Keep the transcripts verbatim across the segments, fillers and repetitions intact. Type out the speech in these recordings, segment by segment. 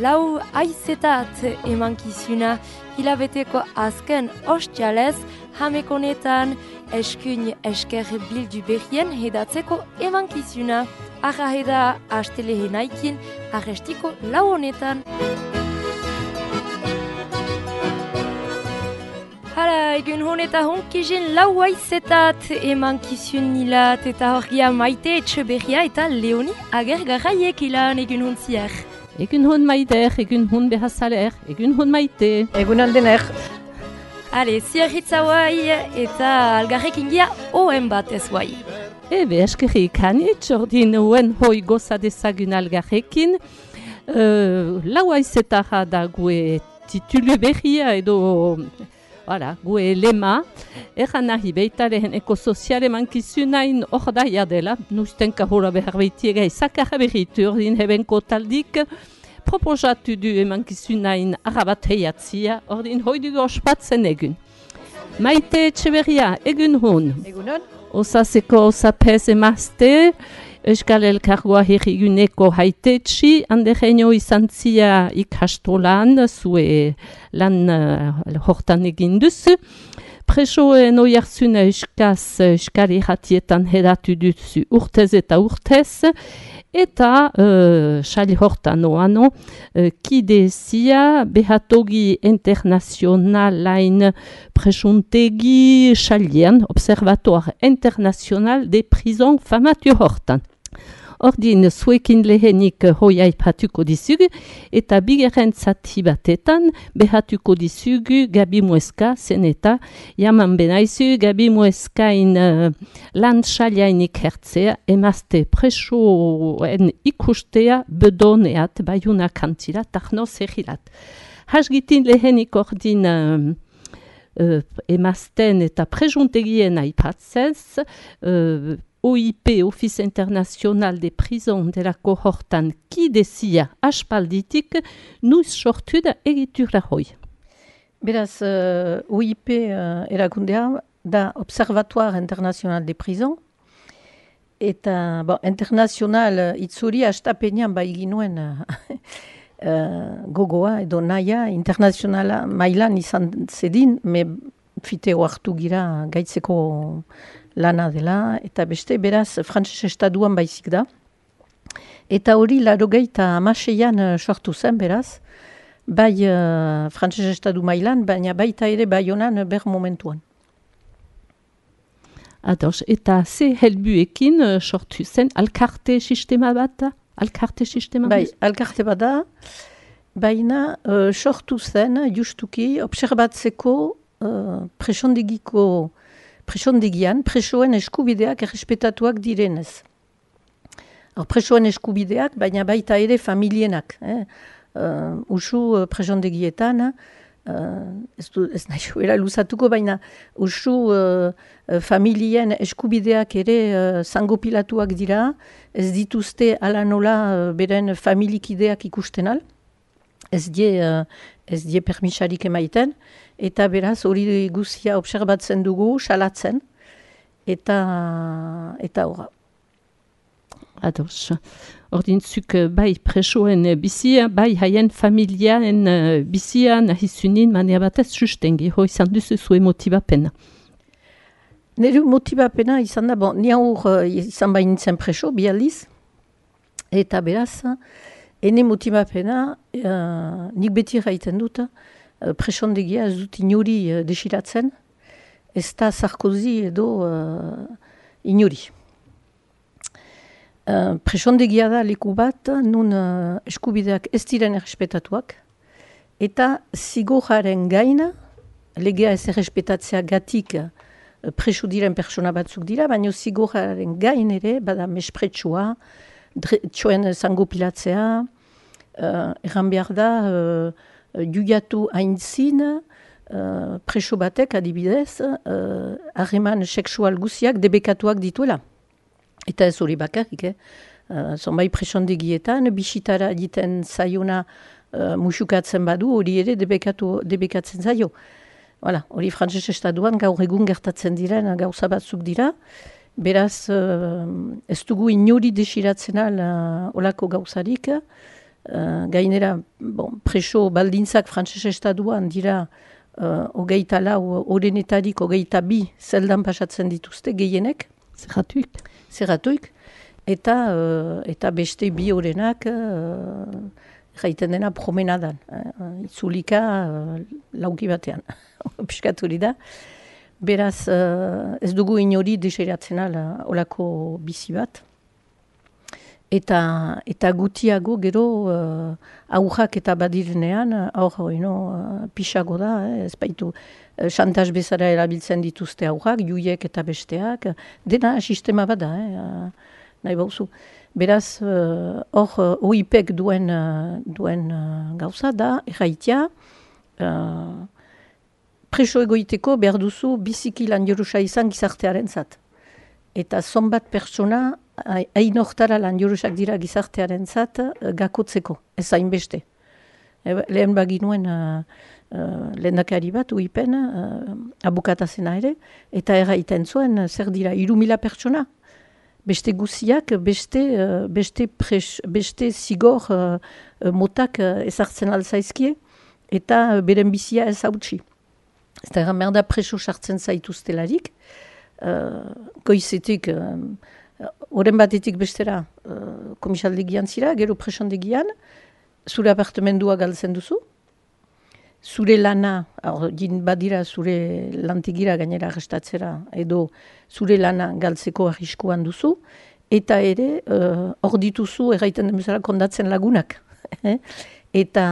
lau aizetat emankizuna hilabeteko azken ostialez jamekonetan eskuin esker bildu berrien hedatzeko emankizuna. Arra heda astelehenaikin arrestiko lau honetan. Hala, egun honeta honkizien lau aizetat emankizun nilat eta horgia Maite Etxeberria eta Leoni Agergarraiek ilan egun hontziar. Egun hon Maider, egun hon behazaler, egun hon Maite. Egun aldener. Hale, ziarritza guai eta algarrek ingia oen bat ez guai. Ebe, eskerrik hanitz, ordin uen hoi goza dezagun algarrekin. Uh, lau aizetara da gue titulu berria edo... Voilà, gue lema, eran nahi beitaren ekosozial emankizunain hor daia dela, nustenka hora behar beitiega izakarra berritu ordin hebenko taldik, proposatu du emankizunain arabat heiatzia, ordin hoidugu ospatzen egun. Maite Etxeberria, egun hon. Egun hon. Osaseko osapez emazte, Euskal Elkargoa herriguneko haitetxi, handereino izan zia ikastolan, zue lan uh, hortan egin duzu. Presoen oiarzuna euskaz euskal irratietan hedatu duzu urtez eta urtez, eta uh, xali hortan oano, uh, kide zia behatogi internazionalain presuntegi xalien, Observatoire International de Prison famatu hortan. Ordin zuekin lehenik hoi aipatuko dizugu eta bigeren zati batetan behatuko dizugu Gabi Mueska zen eta jaman benaizu Gabi Mueskain uh, landxaliainik hertzea emazte presoen ikustea bedoneat baiuna kantila tahno zehilat. Hasgitin lehenik ordin uh, uh, emazten eta presuntegien aipatzez uh, O I P, Office International de Prison de la Kohortan, kidezia aspalditik, nuiz sortu da egitura hoi. Beraz, uh, O I P uh, erakundea da Observatoire International de Prison, eta bon, internazional uh, itzuri astapenean bai ginuen uh, uh, gogoa edo naia internazionala mailan izan zedin, me fiteo hartu gira gaitzeko lana dela, eta beste beraz frantses estaduan baizik da. Eta hori larogeita hamaseian uh, sortu zen beraz, bai uh, frantses estadu mailan, baina baita ere Baionan uh, ber momentuan. Ados, eta ze helbuekin uh, sortu zen alkarte sistema bat da? Alkarte sistema bai, alkarte bat da, baina uh, sortu zen justuki obserbatzeko uh, presondegiko presondegian, presoen eskubideak errespetatuak direnez. Or, presoen eskubideak, baina baita ere familienak. Eh? Uh, usu uh, presondegietan, uh, ez, du, ez nahi joera luzatuko, baina usu uh, uh, familien eskubideak ere uh, zangopilatuak dira, ez dituzte ala nola uh, beren familikideak ikusten al, ez die, uh, ez die permisarik emaiten, eta beraz hori guzia obserbatzen dugu, salatzen, eta eta horra. Ados. Ordintzuk bai presoen bizia, bai haien familiaren bizia nahizunin mania batez sustengi, hoi izan duzu zuen motibapena. Nire motibapena izan da, bon, ni aur izan bain nintzen preso, bi aldiz, eta beraz, ene motibapena, uh, nik beti gaiten dut, presondegia ez dut inuri uh, desiratzen, ez da Sarkozy edo uh, inuri. Uh, presondegia da leku bat, nun uh, eskubideak ez diren errespetatuak, eta zigorraren gaina, legea ez errespetatzea gatik uh, preso diren persona batzuk dira, baina zigorraren gain ere, bada mespretsua, txoen zango pilatzea, uh, erran behar da, uh, juiatu haintzin, uh, preso batek adibidez, harreman uh, seksual guziak debekatuak dituela. Eta ez hori bakarrik, eh? uh, zonbai presondegietan, bisitara egiten zaiona uh, musukatzen badu, hori ere debekatu, debekatzen zaio. Voilà, hori frantses estaduan gaur egun gertatzen diren gauza batzuk dira, beraz uh, ez dugu inori desiratzen al uh, olako gauzarik, uh, gainera bon, preso baldintzak frantzese estatuan dira uh, hogeita lau, orenetarik hogeita bi zeldan pasatzen dituzte gehienek. Zerratuik. Zerratuik. Eta, uh, eta beste bi orenak uh, jaiten dena promenadan. Uh, itzulika uh, lauki batean. Piskaturi da. Beraz, uh, ez dugu inori deseratzen ala olako bizi bat. Eta, eta gutiago gero uh, aurrak eta badirenean, aur no, uh, pixago da, eh, ez baitu uh, xantaz bezala erabiltzen dituzte aurrak, juiek eta besteak, dena sistema bada, eh, uh, nahi bauzu. Beraz, hor uh, O I P-ek duen, uh, duen uh, gauza da, erraitea, uh, preso egoiteko behar duzu biziki lan jorusa izan gizartearen zat. Eta zonbat pertsona hain hortara lan jorusak dira gizartearen zat gakotzeko, ez hainbeste. E, lehen baginuen uh, uh, lehendakari bat, U I P-en, uh, abukatazena ere, eta erraiten zuen zer dira, hiru mila pertsona. Beste guziak, beste, uh, beste, pres, beste zigor uh, motak uh, ezartzen alzaizkie, eta beren bizia ez hautsi. Ez da egan behar da preso sartzen zaituztelarik, uh, goizetik, oren batetik bestera uh, komisaldegian zira, gero presondegian, zure apartamendua galtzen duzu, zure lana, or, jin badira zure lantegira gainera arrestatzera, edo zure lana galtzeko arriskuan duzu, eta ere, hor uh, dituzu, erraiten den bezala kondatzen lagunak. eta,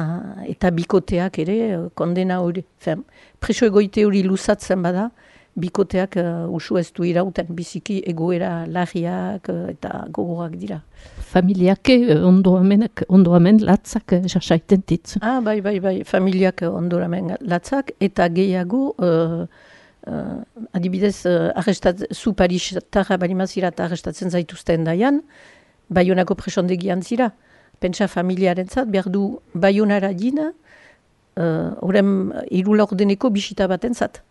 eta bikoteak ere, kondena hori, fen, preso egoite hori luzatzen bada, bikoteak uh, usu ez du irauten, biziki egoera larriak uh, eta gogorak dira. Familiak ondoamenak, ondoamen latzak jasaiten ditzu. Ah, bai, bai, bai, familiak ondoamen latzak, eta gehiago, uh, uh, adibidez, uh, arrestat, zu Paris-tarra balimazira eta arrestatzen zaituzten daian, Baionako presondegian zira. Pentsa familiaren zat, behar du Baionara dina, horren uh, irulordeneko bisita baten zat.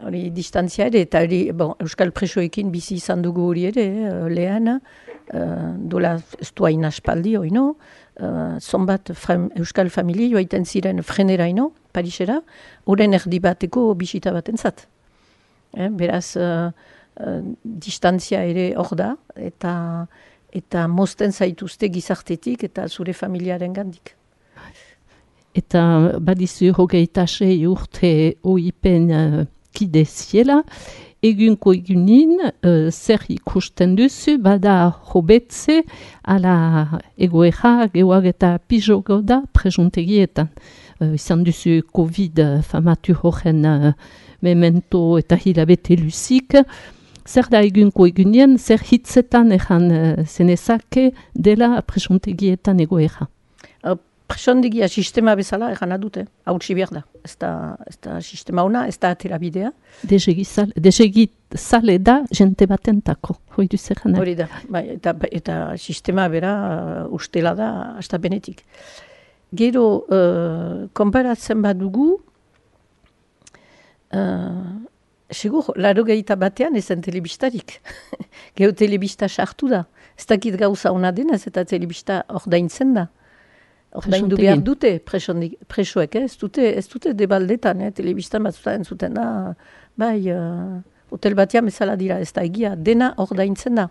Hori distantzia ere, eta hori, bon, Euskal presoekin bizi izan dugu hori ere, eh, lehen, uh, dola ez du hain aspaldi hori, no? Uh, zonbat frem, Euskal familie joaiten ziren frenera ino, Parisera, horren erdi bateko bisita baten zat. Eh, beraz, uh, uh, distantzia ere hor da, eta, eta mozten zaituzte gizartetik eta zure familiaren gandik. Eta badizu hogeita sei urte O I P-en uh, kide ziela, egunko egunin, uh, zer ikusten duzu, bada hobetze, ala egoera, geoag eta pijogo da presuntegietan. Uh, izan duzu Covid famatu horren uh, memento eta hilabete luzik. Zer da egunko egunien, zer hitzetan egan uh, zenezake dela presuntegietan egoera? Presondegia sistema bezala egan adute, hautsi behar da. Ez da, ez da sistema ona, ez da atera bidea. Desegizale da jente batentako, hoi duzer gana. Hori da, bai, eta, eta sistema bera uh, ustela da, hasta benetik. Gero, uh, konparatzen badugu, uh, segur, laro gehieta batean ezen telebistarik. Gero telebista sartu da. Ez dakit gauza ona denez eta telebista ordaintzen da. Ordaindu behar dute presoek, eh? ez dute, ez dute debaldetan, eh? Telebistan batzutan zuten da, bai, uh, hotel batean bezala dira, ez da egia, dena ordaintzen da.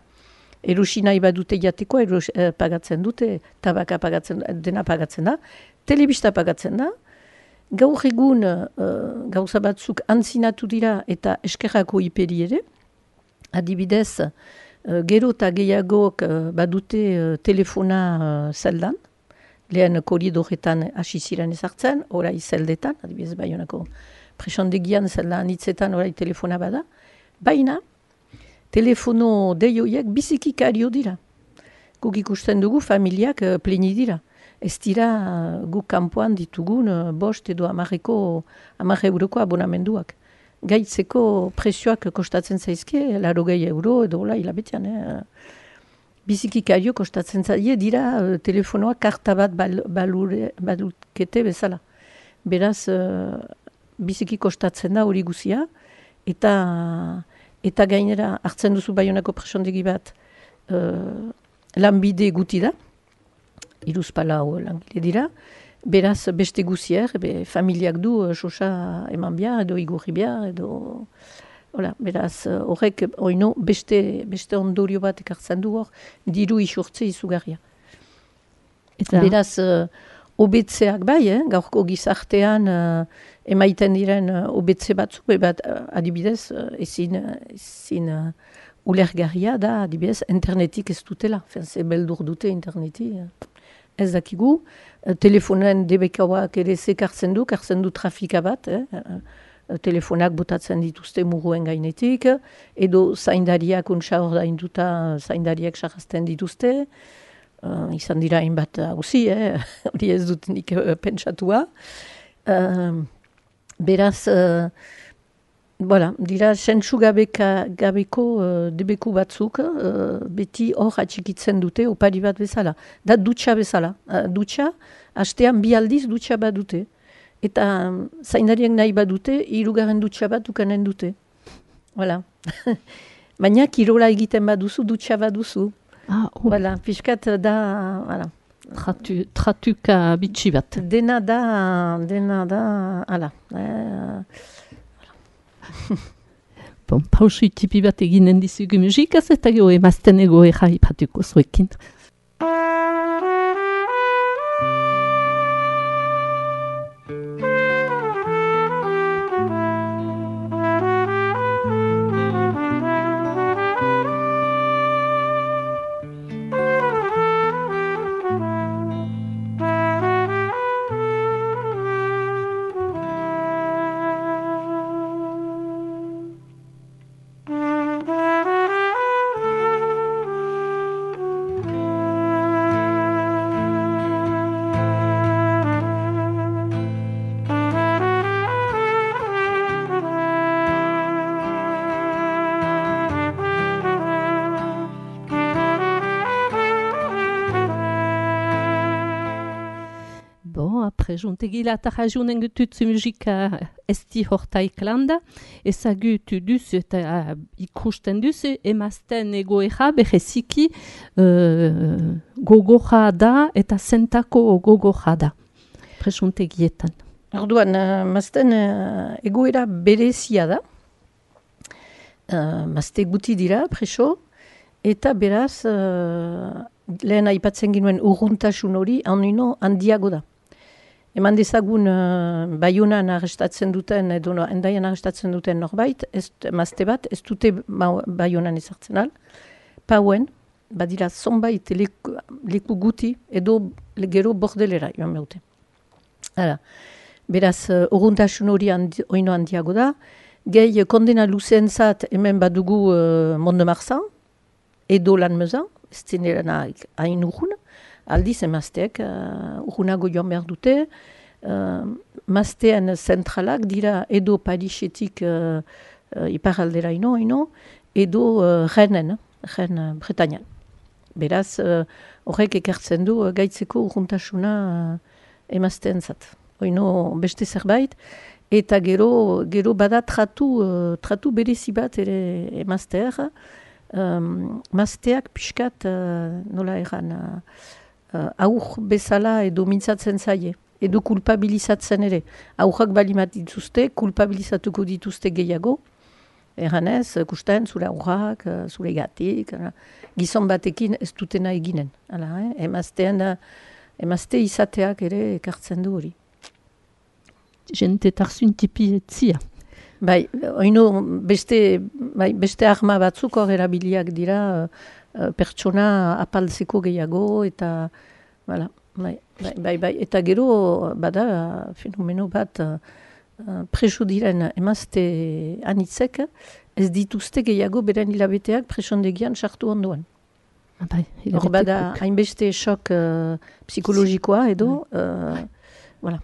Erosi nahi badute jateko, eros, eh, pagatzen dute, tabaka pagatzen, dena pagatzen da, telebista pagatzen da, gaur egun uh, gauza batzuk antzinatu dira eta eskerrako iperi ere, adibidez, uh, gero eta gehiagok uh, badute uh, telefona uh, zeldan, lehen koridoretan hasi ziren ezartzen, orai zeldetan, adibidez Baionako presondegian zeldan hitzetan orai telefona bada, baina telefono deioiek biziki kario dira. Guk ikusten dugu familiak uh, pleni dira. Ez dira uh, guk kanpoan ditugun uh, bost edo amarreko, amarre euroko abonamenduak. Gaitzeko presioak kostatzen zaizke, larogei euro edo hola hilabetean, eh? Biziki kario kostatzen zaie dira uh, telefonoa karta bat bal, balure, balukete bezala. Beraz, uh, biziki kostatzen da hori guzia, eta, eta gainera hartzen duzu Baionako presondegi bat uh, lanbide guti da, iruzpalau langile dira. Beraz, beste guzier, be, familiak du sosa eman behar, edo igurri behar, edo... Hola, beraz, horrek, oino, beste, beste ondorio bat ekartzen du hor, diru isurtze izugarria. Eta... Beraz, uh, obetzeak bai, eh? Gaurko gizartean uh, emaiten diren uh, obetze batzuk, bat uh, adibidez, uh, ezin, ezin uh, ulergarria da, adibidez, internetik ez dutela. Ze beldur dute interneti. Uh. Ez dakigu, uh, telefonen debekauak ere zekartzen du, kartzen du trafika bat, eh? uh, telefonak botatzen dituzte muruen gainetik, edo zaindariak untsa hor dainduta zaindariak sarrazten dituzte, uh, izan dira hainbat hauzi, eh? Hori ez dut nik uh, pentsatua. Uh, beraz, uh, voilà, dira sentsu gabeka, gabeko uh, debeku batzuk, uh, beti hor atxikitzen dute opari bat bezala. Da dutxa bezala. Uh, dutxa, hastean bi aldiz dutxa bat dute. Eta zaindariak nahi badute, hirugarren dutxa bat ukanen dute. Voilà. Baina kirola egiten baduzu, dutxa baduzu. Ah, oh. Voilà, pixkat da... Voilà. Tratu, tratuka bitxi bat. Dena da... Dena da... Hala. Eh, bon, pausu itipi bat eginen dizugu musikaz, eta gero emazten ego erra ipatuko zuekin. Juntegila eta jajunen gututzu musika esti hortaik landa, ezagutu duzu eta ikusten duzu, emazten egoera beheziki uh, gogoja da eta zentako gogoja da, presuntegietan. Orduan, uh, mazten uh, egoera berezia da, uh, mazte guti dira, preso, eta beraz, uh, lehen aipatzen ginuen urruntasun hori, hanino handiago da. Eman dezagun uh, Baionan arrestatzen duten, edo no, endaian arrestatzen duten norbait, ez, mazte bat, ez dute Baionan ezartzen al. Pauen, badira zonbait leku, leku guti, edo gero bordelera joan beute. Hala, beraz, uh, urruntasun hori handi, oino handiago da. Gehi, kondena luzen zat hemen badugu uh, Mont-de-Marsan, edo lan mezan, ez zinera hain urrun. Aldiz emazteek uh, urrunago joan behar dute, uh, maztean zentralak dira edo Parisetik uh, uh, iparaldera ino, ino edo uh, Renen, Ren uh, Bretañan. Beraz, uh, horrek ekartzen du uh, gaitzeko urruntasuna uh, emazteen zat. Oino beste zerbait, eta gero, gero bada tratu, uh, tratu berezi bat ere emazteer, um, mazteak pixkat, uh, nola erran, uh, Uh, aur bezala edo mintzatzen zaie, edo kulpabilizatzen ere. Aurrak balimat dituzte, kulpabilizatuko dituzte gehiago. Erranez, kusten, zure aurrak, zure gatik, gizon batekin ez dutena eginen. Hala, eh? Emaztean, emazte izateak ere ekartzen du hori. Jente tarzun tipi etzia. Bai, oino beste, bai, beste arma batzuk hor erabiliak dira, pertsona apaltzeko gehiago, eta voilà, bai, bai, bai, bai, eta gero bada fenomeno bat uh, preso diren emazte anitzek ez dituzte gehiago beren hilabeteak presondegian sartu ondoan. Bai, hor bada hainbeste šok uh, psikologikoa edo uh, voilà,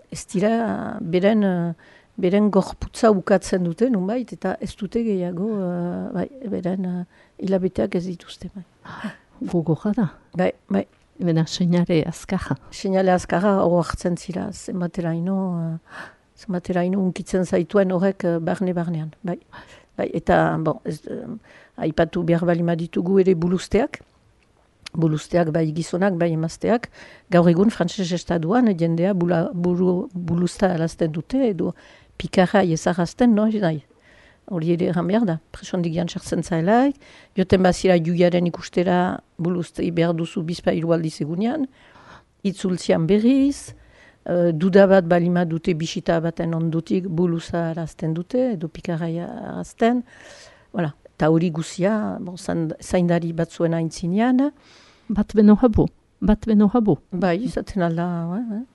ez dira beren uh, beren gorputza ukatzen dute, nunbait, eta ez dute gehiago, uh, bai, beren uh, hilabeteak ez dituzte. Bai. Gogorra da. Bai, bai. Bena, seinale azkarra. Seinale azkarra hor hartzen zira, zenbatera ino, uh, zenbatera ino unkitzen zaituen horrek uh, barne-barnean. Bai. Bai, eta, bon, ez, uh, aipatu behar balima ditugu ere buluzteak. Bulusteak, bai gizonak, bai emazteak, gaur egun frantses estatuan jendea bula, buru, bulusta alazten dute, edo pikarra ezagazten, no, nahi. Hori ere egan behar da, presondik jantxartzen zaelaik, joten bazira juiaren ikustera buluztei behar duzu bizpa hiru aldiz egunean, itzultzian berriz, uh, duda bat balima dute bisita baten ondutik buluza arazten dute, edo pikarraia arazten, voilà. Eta hori guzia, bon, zaindari batzuen aintzinean. Bat beno habu, bat beno habu. Bai, izaten alda,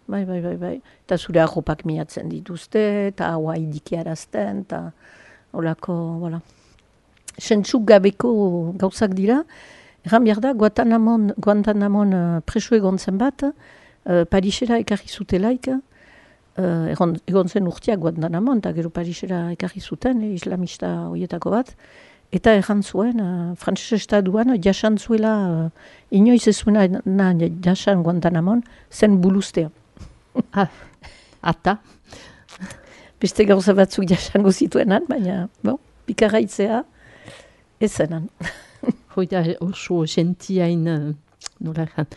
bai, bai, bai, bai. Eta zure arropak miatzen dituzte, eta haua idikiarazten, eta holako, voilà. Sentsuk gabeko gauzak dira, erran behar da, Guantanamon, Guantanamon uh, preso egon zen bat, uh, Parisera ekarri zutelaik, uh, egon, egon zen urteak Guantanamon, eta gero Parisera ekarri zuten, eh, islamista horietako bat, eta erran zuen, uh, frantses estatuan, jasan zuela, uh, inoiz ez zuena na, jasan Guantanamon, zen buluztea. Ah, ata. Beste gauza batzuk jasango zituenan, baina, bon, pikarraitzea, ez zenan. Hoi da oso gentiain, nola egan,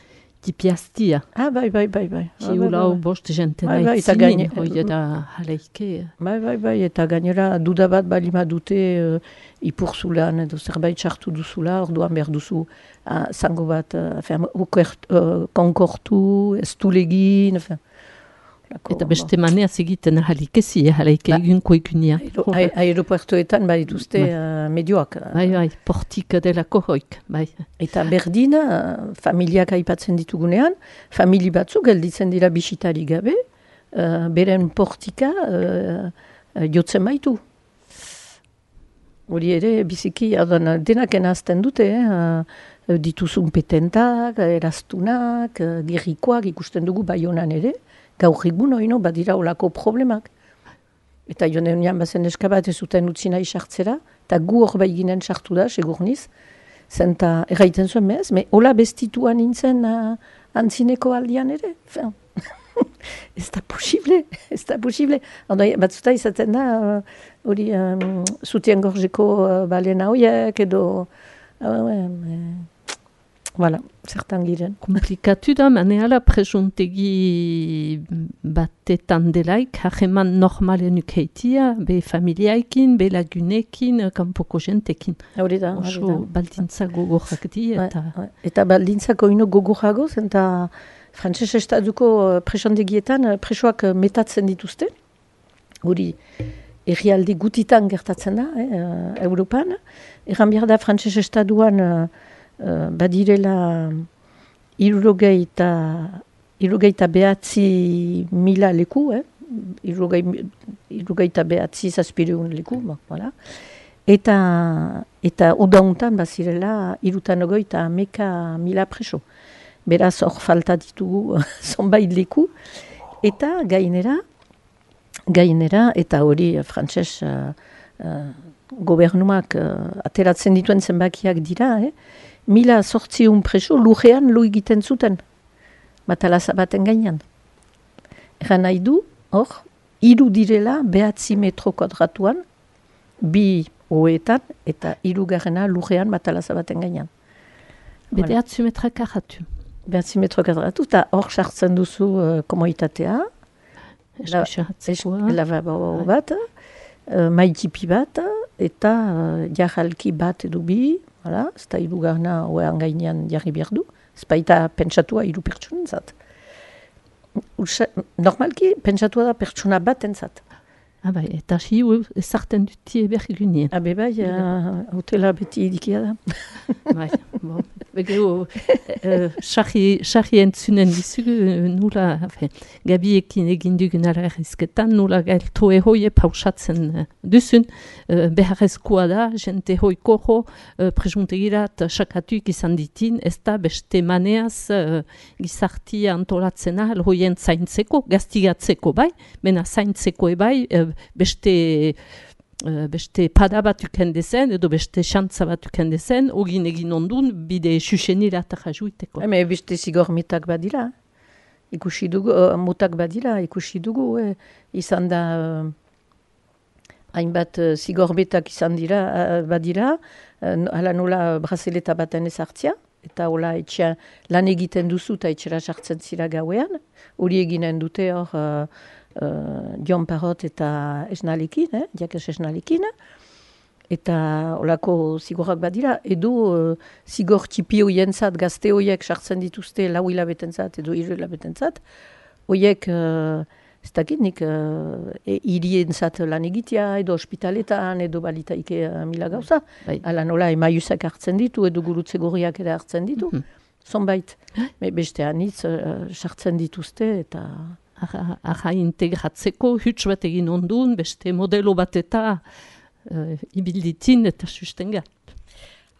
tipiaztia. Ah, bai, bai, bai, bai. Ki ulau bost jentena bai, bai, itzinin, hoi da jaleike. Bai, bai, bai, eta gainera duda bat balima dute uh, ipurzulan, edo zerbait sartu duzula, orduan behar duzu uh, zango bat, uh, uh, konkortu, ez tulegin, enfin, eta beste maneaz egiten jalikezi, jaleike egunko egunia. Aeropuertoetan bai dituzte uh, medioak. Bai, bai, portik delako hoik, bai. Eta berdin, uh, familiak aipatzen ditugunean, famili batzuk gelditzen dira bisitari gabe, uh, beren portika uh, uh, jotzen baitu. Hori ere, biziki, adan, denak enazten dute, eh? uh, dituzun petentak, eraztunak, uh, gerrikoak ikusten dugu Baionan ere, gaur egun oino badira olako problemak. Eta joan eunian bazen eskabat ez zuten utzi nahi sartzera, eta gu hor bai ginen sartu da, segurniz, zenta erraiten zuen mehaz, me hola bestituan nintzen uh, antzineko aldian ere. Fin. Ez da posible, ez da posible. Batzuta izaten da, hori uh, um, zutien gorzeko uh, balena hoiek, edo... Uh, uh, Voilà, zertan giren. Komplikatu da, maneala presuntegi batetan delaik, hageman normalen ukeitia, be familiaikin, be lagunekin, kanpoko jentekin. Hori da, hori da. Oso baldintza gogorrak di, eta... Ba, ba. Eta baldintzako ino gogorrago, eta frantses estatuko presondegietan presoak metatzen dituzte. Hori, herrialde gutitan gertatzen da, eh, Europan. Erran behar da frantses estatuan... Uh, badirela irurogeita irurogeita behatzi mila leku, eh? irurogeita behatzi zazpireun leku, ba, voilà. Eta, eta odauntan bazirela irutan ogoita ameka mila preso. Beraz hor falta ditugu zonbait leku. Eta gainera, gainera, eta hori frantses uh, uh, gobernuak uh, ateratzen dituen zenbakiak dira, eh? Mila sortziun preso lujean lu egiten zuten, matalaza baten gainean. Egan nahi du, hor, hiru direla behatzi metro kuadratuan, bi hoetan, eta hirugarrena lujean matalaza baten gainean. Behatzi metra karratu. Behatzi metro karratu, eta hor sartzen duzu uh, komoitatea, lavabo bat, uh, maitipi bat, eta uh, jarralki bat edo bi, hala, ez da hirugarna hoean gainean jarri behar du, ez baita pentsatua hiru pertsonentzat. Normalki pentsatua da pertsona bat entzat. Ah bai, eta hiu ezarten dutie bergunien. Habe bai, hotela beti idikia da. Bai, bon. Begero, sarri entzunen dizugu, nula, Gabiekin egin dugun alarrizketan, nula gailto ehoie pausatzen duzun, beharrezkoa da, jente hoiko ho, presuntegirat sakatuik izan ditin, ez da beste maneaz gizartia antolatzen ahal hoien zaintzeko, gaztigatzeko bai, bena zaintzeko ebai, beste... Uh, beste pada bat ukendezen, edo beste xantza bat ukendezen, ogin egin ondun, bide xuxenira eta jajuiteko. Eme beste zigor mitak badila, ikusi dugu, uh, mutak badila, ikusi dugu, eh, izan da, uh, hainbat uh, zigor mitak izan dira, uh, badira, uh, ala nola brazeleta baten ezartzia, eta hola etxean lan egiten duzu eta etxera sartzen zira gauean, hori eginen dute hor uh, uh, Jon Parrot eta esnalekin, eh? Jakes esnalekin, eta olako zigorrak badira, edo uh, zigor txipi hoientzat, gazte hoiek sartzen dituzte lau hilabetentzat edo hiru hilabetentzat, hoiek, uh, ez dakit nik, uh, e, irientzat lan egitea, edo ospitaletan, edo balitaike uh, mila gauza. Bai. Ala nola emaiusak hartzen ditu, edo gurutze gorriak ere hartzen ditu. Mm-hmm. Zonbait. Me beste anitz, uh, sartzen dituzte, eta... Aha, integratzeko huts bat egin ondun, beste modelo bat eta uh, ibilditin eta sustengat.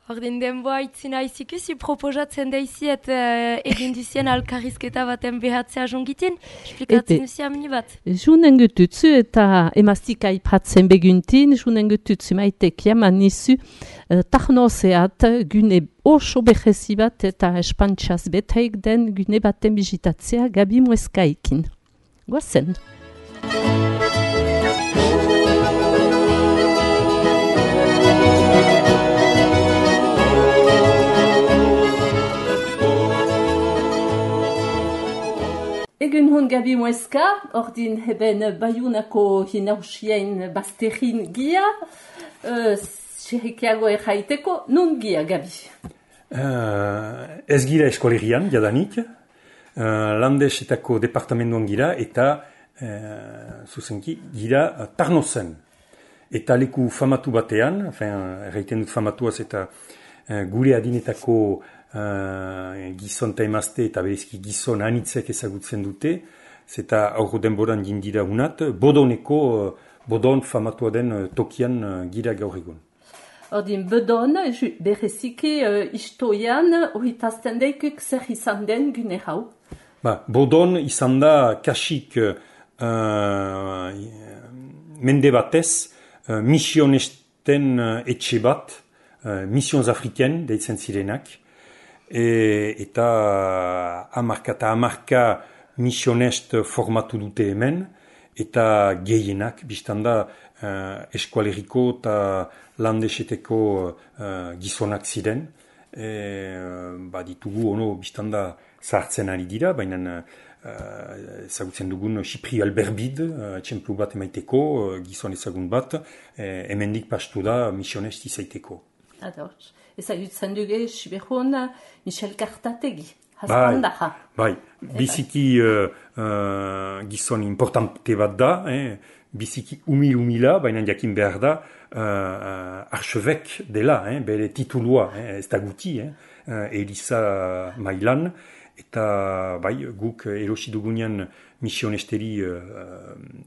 Ordin denboa itzina izikusi proposatzen daiziet uh, egin duzien alkarrizketa baten behatzea jongitin, esplikatzen duzia mini bat. Junen gututzu eta emaztik aipatzen beguntin, junen gututzu maitek jaman nizu uh, tarnozeat gune oso behezi bat eta espantxaz betaik den gune baten bizitatzea Gabi Mueskaikin. Guazen. Egun hon Gabi Mueska, ordin heben Baiunako hinausien bazterrin gia, xerrikiago uh, erraiteko, nun gia, Gabi? Uh, ez gira eskolerian, jadanik, uh, landesetako departamentuan gira, eta uh, zuzenki gira uh, Tarnozen. Eta leku famatu batean, erraiten dut famatuaz eta uh, gure adinetako Uh, gizon eta emazte eta berezki gizon anitzek ezagutzen dute, zeta aurro denboran jindira unat, bodoneko, uh, bodon famatua den uh, tokian uh, gira gaur egun. Ordin, bodon, bereziki uh, istoian, horritazten daikuk zer izan den gune hau? Ba, bodon izan da kasik uh, mende batez, uh, misionesten uh, etxe bat, uh, misions afriken deitzen zirenak, E, eta amarka eta amarka misionest formatu dute hemen, eta gehienak, biztanda uh, eskualeriko eta landeseteko uh, gizonak ziren. E, ba ditugu, ono, biztanda zahartzen ari dira, baina uh, ezagutzen dugun Xipri Alberbid, uh, txemplu bat emaiteko, uh, gizon ezagun bat, eh, hemendik pastu da misionest izaiteko. Ados. Ezagutzen duge, Sibehon, Michel Kartategi, haspandaja. Bai, bai. Biziki uh, uh, gizon importante bat da, eh? Biziki umil-umila, baina jakin behar da, uh, uh, archevek dela, eh? Bere titulua, eh? Ez da guti, eh? uh, Elisa Mailan, eta bai, guk erosi dugunean misionesteri uh,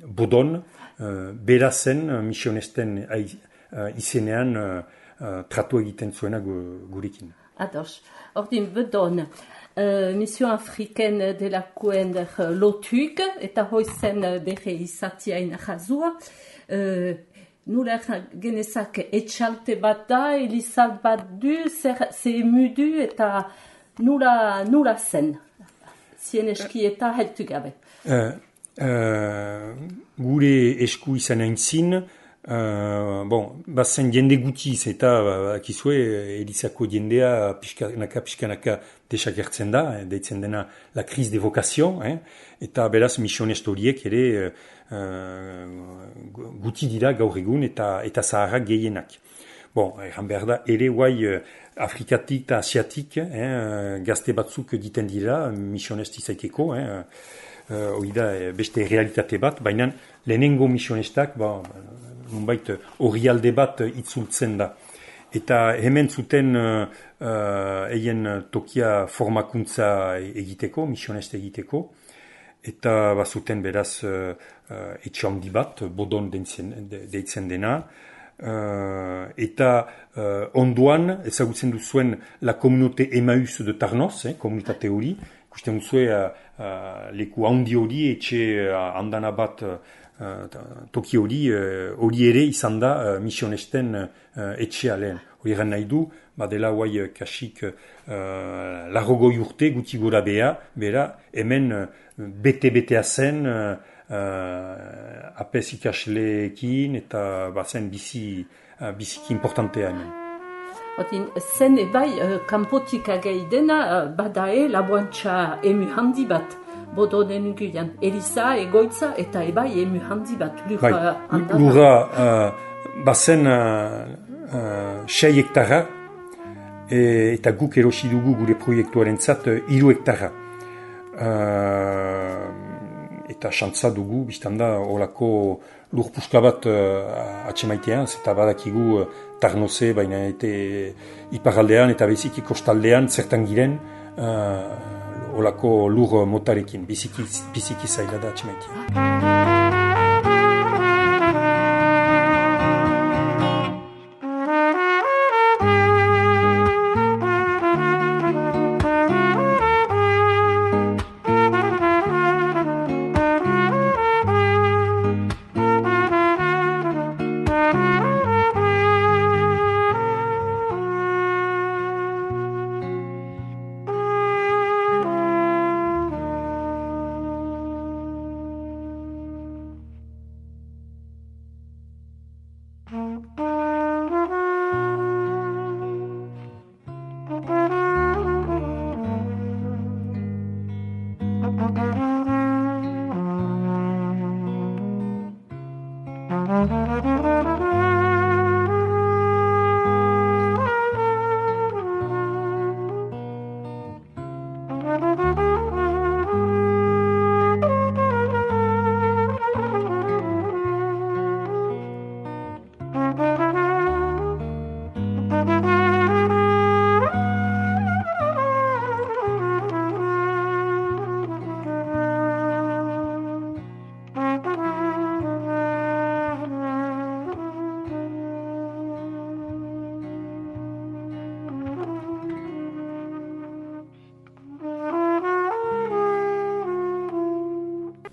bodon, uh, bera zen uh, misionesten uh, izenean uh, Uh, tratu egiten zuena gurekin. Ados. Ordin, bedon, uh, Mission Afriken delakoen uh, lotuk, eta hoizen bere izatiain jazua. Uh, Nula genezak etxalte bat da, elizat bat du, zer emudu, eta nula, nula zen. Zien eski eta heltu gabe. Uh, uh, gure esku izan aintzin, Uh, bon, bazen jende gutiz eta akizue Elizako jendea pixkanaka pixkanaka desagertzen da, eh, deitzen dena la crise de vocation, eh, eta beraz misionest horiek ere uh, guti dira gaur egun eta, eta zaharrak gehienak. Bon, erran behar da, ere guai uh, Afrikatik eta Asiatik, eh, gazte batzuk diten dira misionest izaiteko, eh, uh, hori da beste realitate bat, baina lehenengo misionestak, ba, nunbait hori alde bat itzultzen da. Eta hemen zuten uh, uh, eien tokia formakuntza egiteko, misioneste egiteko, eta bazuten beraz uh, uh, etxe handi bat, bodon deitzen, deitzen dena, uh, eta uh, ondoan ezagutzen duzuen la komunote Emmaüs de Tarnos, eh, komunitate hori, ikusten duzue uh, uh, leku handi hori etxe uh, andana bat uh, Uh, toki hori, hori uh, ere izan da uh, misionesten uh, etxea lehen. Hori eran nahi du, badela guai uh, kasik uh, larrogoi urte guti gora bea, bera, hemen uh, bete-betea zen, uh, uh, apes ikasleekin eta bazen bizi, uh, biziki importantea hemen. Odin, zen ebai, uh, kanpotik agei dena, uh, badae laboantxa emu handi bat. Bodo denuguian, Eliza, egoitza eta ebai emu handi bat. Lura bai, handana. lura uh, bazen uh, uh, sei hektara, e, eta guk erosi dugu gure proiektuaren zat uh, iru hektara. Uh, eta xantza dugu, biztanda, olako lur puska bat uh, atxemaitea, eta badakigu uh, tarnoze, baina eta iparaldean eta beziki kostaldean zertan giren uh, olako lur motarekin, biziki, biziki zaila da atxemaitea.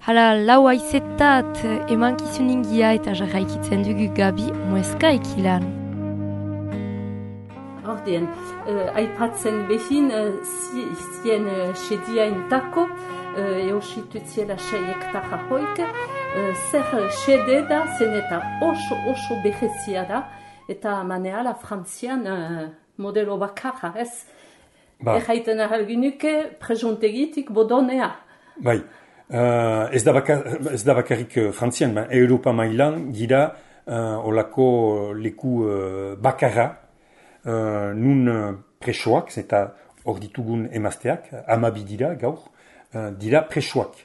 Hala, lau aizetat emankizuningia eta jarraikitzen dugu Gabi Mueska ekilan. Ordien, uh, aipatzen behin, uh, zien uh, sediaintako, uh, eositutziela sei hektara hoik, uh, zer sede da, zen eta oso oso behezia da, eta maneala Frantzian uh, modelo bakarra, ez? Ba. Erraiten ahalginuke prejontegitik bodonea. Bai. Uh, ez, da bakar, ez da bakarrik uh, Frantzian, ba, Europa mailan gira uh, olako leku uh, bakarra uh, nun uh, presoak, eta hor ditugun emazteak, amabi dira gaur, uh, dira presoak.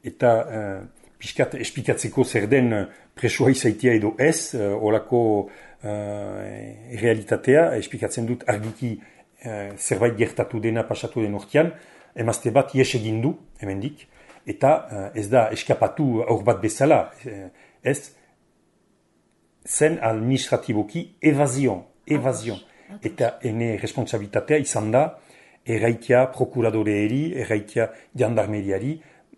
Eta uh, piskat espikatzeko zer den uh, presoa izaitia edo ez, uh, olako uh, realitatea, espikatzen dut argiki uh, zerbait gertatu dena pasatu den urtean, emazte bat ies egin du, hemendik, eta uh, ez da eskapatu aur bat bezala, ez, zen administratiboki evazion, evazion. Eta ene responsabilitatea izan da, erraitia prokuradoreeri, erraitia jandarmeriari,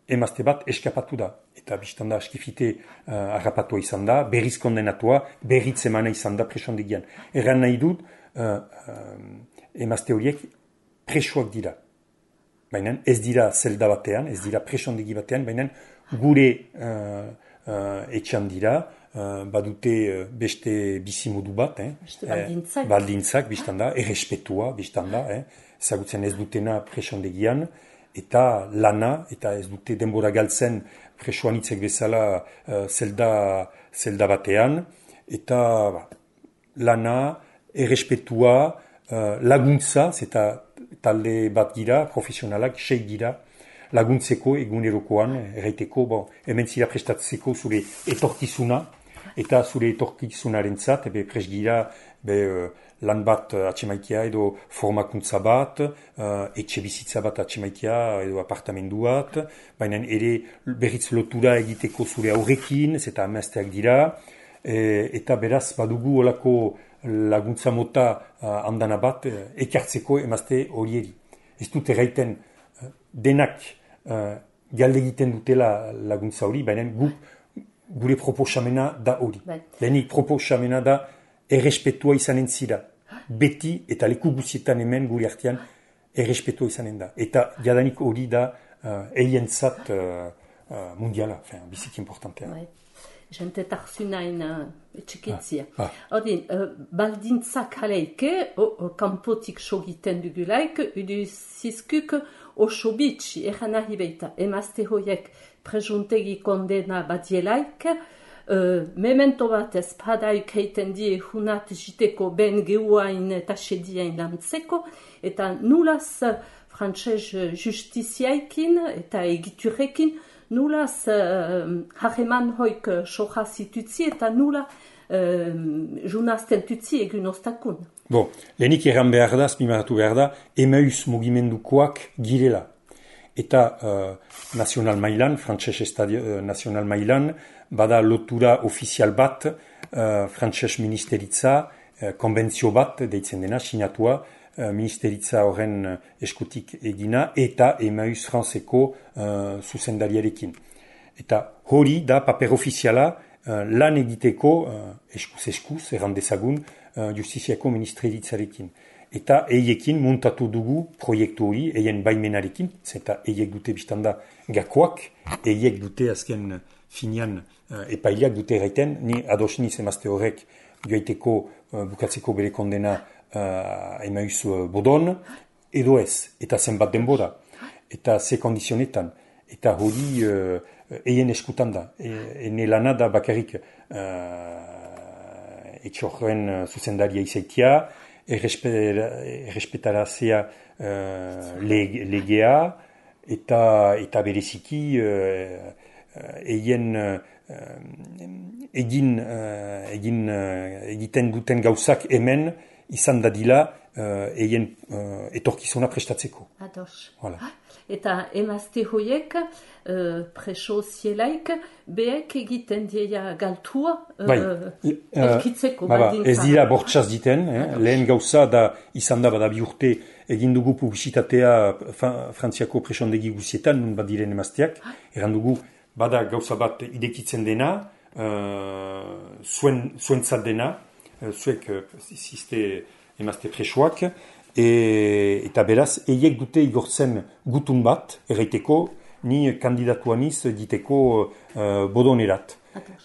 emazte bat eskapatu da. Eta biztan da askifite uh, harrapatua izan da, berriz kondenatua, berriz emana izan da presondegian. Erran nahi dut, uh, uh, emazte horiek presoak dira. Baina ez dira zelda batean, ez dira presondegi batean, baina gure uh, uh, etxan dira, uh, badute uh, beste bizimodu bat, eh? Beste baldintzak. Eh, baldintzak, biztanda, errespetua, biztanda, eh? Zagutzen ez dutena presondegian, eta lana, eta ez dute denbora galtzen presoan itzek bezala uh, zelda, zelda batean, eta ba, lana, errespetua, uh, laguntza, eta talde bat gira, profesionalak, sei gira, laguntzeko egunerokoan, erraiteko, bon, hemen zira prestatzeko zure etorkizuna, eta zure etorkizunaren zat, ebe pres gira, be, lan bat atxemaitia edo formakuntza bat, uh, etxe bizitza bat atxemaitia edo apartamendu bat, baina ere berriz lotura egiteko zure aurrekin, eta amazteak dira, e, eta beraz badugu olako laguntza mota uh, andana bat uh, ekartzeko emazte horieri. Ez dut erraiten uh, denak uh, galde egiten dutela laguntza hori, baina gu, gure proposamena da hori. Lehenik proposamena da errespetua izanen zira. Beti eta leku guzietan hemen gure artean errespetua izanen da. Eta jadanik hori da uh, eientzat uh, uh, mundiala, fin, biziki importantea. Bai. jente tarzunain uh, etxekitzia. Ah, ah. Ordin, uh, baldintzak haleike, kanpotik sogiten dugulaik, udu zizkuk oso bitxi, eran nahi beita, emazte hoiek prejuntegi kondena badielaik, uh, memento bat ez padaik heiten die hunat jiteko ben geuain eta sediain lantzeko, eta nulaz frantxez justiziaikin eta egiturekin, nulaz uh, hareman hoik soja zitutzi eta nula uh, junazten tutzi egun ostakun. Bon, lehenik erran behar da, azpimarratu behar da, Emaus mugimendukoak girela. Eta uh, nazional mailan, frantxez estadio uh, nazional mailan, bada lotura ofizial bat, uh, frantxez ministeritza, uh, konbentzio bat, deitzen dena, sinatua, uh, ministeritza horren eskutik egina, eta Emaus franzeko uh, zuzendariarekin. Eta hori da paper ofiziala uh, lan egiteko uh, eskuz eskuz, erran dezagun, uh, justiziako ministeritzarekin. Eta eiekin montatu dugu proiektu hori, eien baimenarekin, zeta eiek dute biztanda gakoak, eiek dute azken finian uh, epaileak dute erraiten, ni ados niz emazte horrek joaiteko uh, bukatzeko bere kondena uh, Emaus uh, bodon, edo ez, eta zenbat denbora, eta ze kondizionetan, eta hori uh, eien eskutan da, e, ene lana da bakarrik uh, etxorren uh, zuzendaria izaitia, errespetarazia uh, legea eta, eta bereziki uh, eien uh, egin, uh, egin uh, egiten duten gauzak hemen izan dadila uh, eien uh, etorkizuna prestatzeko. Ados. Voilà. Eta emazte hoiek uh, preso zielaik behek egiten dieia galtua uh, bai. elkitzeko. Uh, ba, ez dira bortxaz diten, eh? Lehen gauza da izan da bada bi urte egin dugu publizitatea Frantziako presondegi guzietan, nun bat diren emazteak, eran dugu bada gauza bat idekitzen dena, uh, zuen, zuentzat dena, uh, zuek uh, ziste emazte presoak, E, eta beraz, eiek dute igortzen gutun bat, erraiteko, ni kandidatuaniz diteko uh, bodonerat.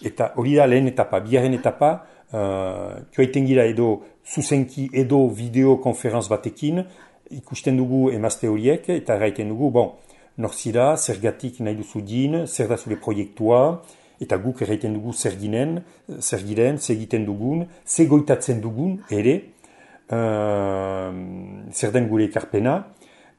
Eta hori da lehen etapa, biaren etapa, uh, joaiten gira edo zuzenki edo videokonferenz batekin, ikusten dugu emazte horiek, eta erraiten dugu, bon, norzira, zergatik nahi duzu din, zer da zure proiektua, eta guk erraiten dugu zer ginen, zer giren, zer egiten dugun, zer goitatzen dugun, ere, Uh, zer den gure ekarpena,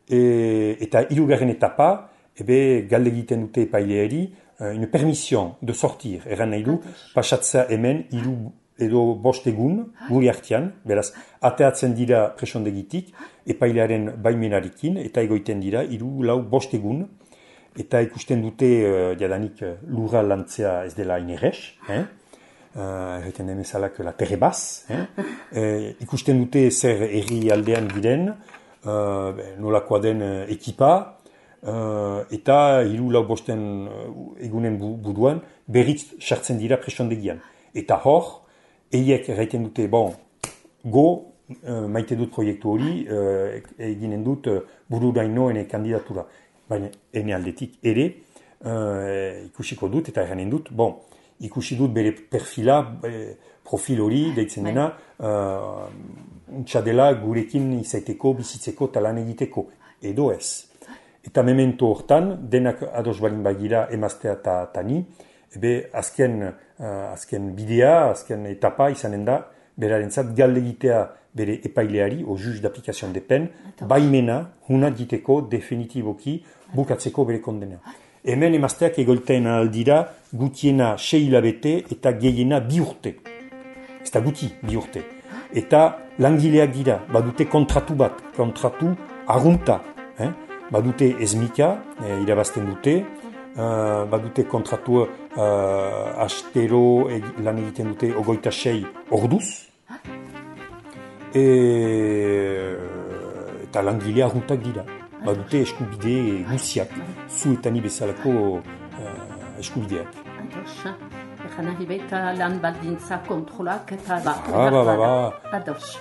e, eta hirugarren etapa, ebe galde egiten dute epaileari, uh, une permission de sortir, erran nahi du, pasatza hemen hiru edo bost egun, gure artean, beraz, ateatzen dira presondegitik, epailearen baimenarekin, eta egoiten dira hiru lau bost egun, eta ikusten dute, uh, jadanik, lurra lantzea ez dela inerrez, eh? Erreten uh, demezalak la terre baz, eh? uh, ikusten dute zer erri aldean giren, uh, nolakoa den uh, ekipa, uh, eta hiru lau bosten uh, egunen bu, buduan, berriz sartzen dira presondegian. Eta hor, eiek erraiten dute, bon, go, uh, maite dut proiektu hori, uh, eginen dut uh, bururaino ene kandidatura. Baina, ene aldetik ere, uh, ikusiko dut eta erranen dut, bon, ikusi dut bere perfila, eh, profil hori, deitzen dena, uh, untsa dela gurekin izaiteko, bizitzeko, talan egiteko, edo ez. Eta memento hortan, denak ados balin bagira emaztea eta tani, ebe azken, uh, azken bidea, azken etapa izanen da, berarentzat galde egitea bere epaileari, o juge d'application de pen, baimena, hunat diteko, definitiboki, bukatzeko bere kondena. Hemen emazteak egolten aldira gutiena sei hilabete eta gehiena bi urte. Ez da guti bi urte. Eta langileak dira, badute kontratu bat, kontratu arrunta. Eh? Badute ezmika, eh, irabazten dute, uh, badute kontratu uh, astero e, lan egiten dute ogoita sei orduz. E, eta langile arruntak dira. Badute eskubide guziak, zu eta ni bezalako uh, eskubideak. Ados, egan nahi baita lan baldintza kontrolak eta ba, ah, ba, ba, ba. Ados.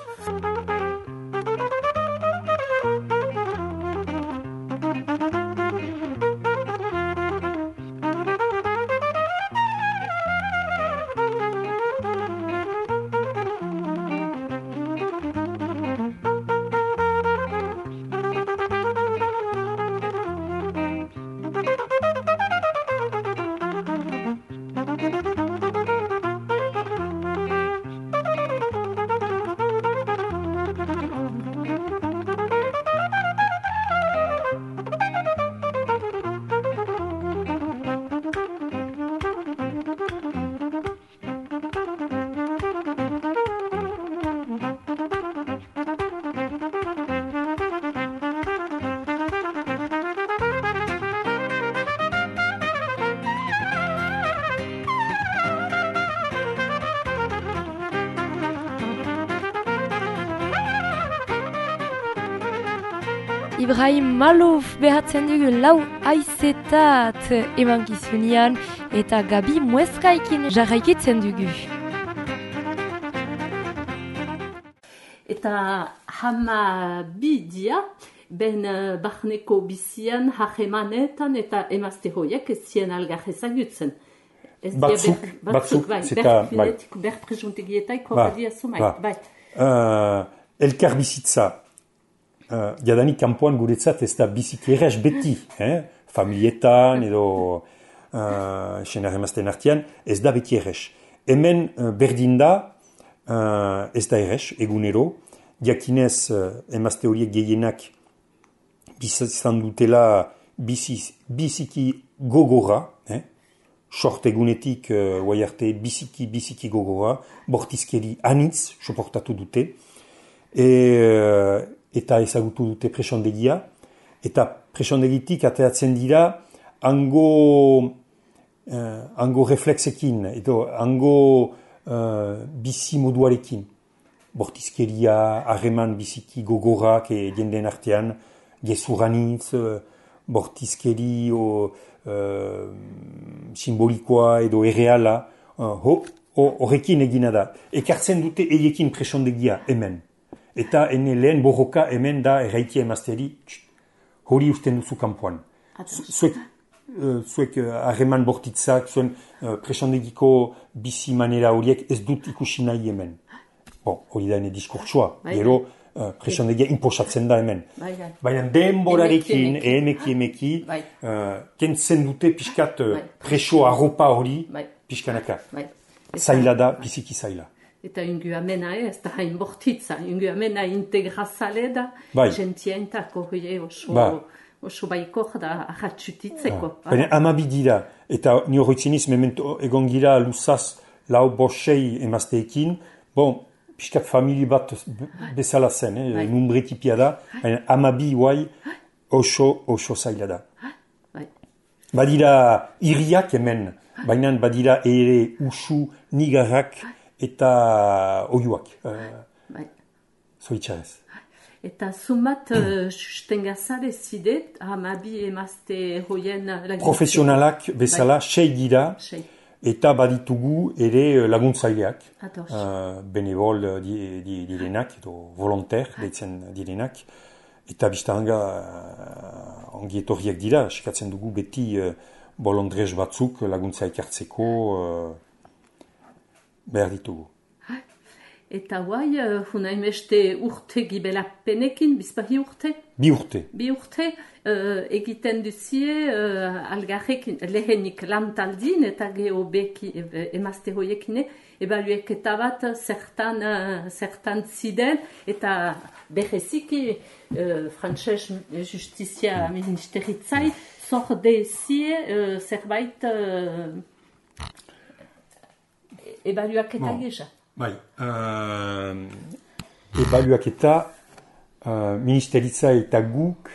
Ibrahim Malouf behatzen dugu lau aizetat emankizunian eta Gabi Muezkaikin jarraikitzen dugu. Eta hama bi dia, ben uh, barneko bizian, hahemanetan eta emazte hoiek ez zien algar ezagutzen. Batzuk, ber, batzuk, bai, zeta, bai. Ber presuntegietaik horredia zumai, bai. Uh, elkar bizitza, uh, jadanik kanpoan guretzat ez da biziki errez beti, eh? Familietan edo uh, senar emazten artean, ez da beti errez. Hemen uh, berdin da, uh, ez da errez, egunero, jakinez uh, emazte horiek gehienak bizitzan dutela bizi, biziki gogora, eh? Sort egunetik, uh, guaiarte, biziki, biziki gogora, bortizkeri anitz, soportatu dute, e, uh, eta ezagutu dute presondegia, eta presondegitik ateatzen dira hango, uh, hango reflexekin, edo hango uh, bizi moduarekin. Bortizkeria, harreman biziki gogorak e, jendeen artean, gezuranitz, uh, bortizkeri, o, Uh, simbolikoa edo erreala, horrekin uh, egina da. Ekartzen dute eiekin presondegia hemen. Eta ene lehen borroka hemen da erraikia emazteri, hori usten duzu kanpoan. Zuek, uh, zuek harreman uh, bortitzak, zuen uh, presondegiko bizi manera horiek ez dut ikusi nahi hemen. Bon, hori da ene diskurtsua, gero, Uh, presondegia imposatzen da hemen. Baina denborarekin, emeki emeki, uh, kentzen dute pixkat uh, preso arropa hori, pixkanaka. Zaila da, biziki zaila. Eta ingu amena ez da hain bortitza, ingu amena integrazale da, gentientako hori oso, oso baikor da ahatsutitzeko. Baina amabi dira, eta ni horretziniz memento egon gira luzaz lau bosei emazteekin, bon, piskat famili bat bezala zen, eh? Numbretipia da, amabi guai oso, oso zaila da. Badira iriak hemen, baina badira ere usu, nigarrak eta oiuak. Uh, Zoitxarez. Eta zumat uh, sustengazare zidet, amabi emazte hoien... Profesionalak bezala, sei dira. Eta baditugu ere laguntzaileak, uh, benevol di, di, direnak, edo volontaire deitzen direnak, eta biztanga uh, ongi etorriak dira, eskatzen dugu beti uh, bolondrez batzuk laguntzaik hartzeko uh, behar ditugu. Eta guai, uh, hunaimeste urte gibela penekin, bizpahi urte? Bi urte. Bi urte, uh, egiten duzie uh, algarrekin lehenik lantaldin eta geho beki emazte hoiekine, ebalueketa bat zertan, uh, zertan ziden, eta bereziki uh, frantses justizia mm. ministeritzai, zorde zie uh, zerbait uh, ebaluaketa no. Geza. Bai, uh, ebaluaketa uh, ministeritza eta guk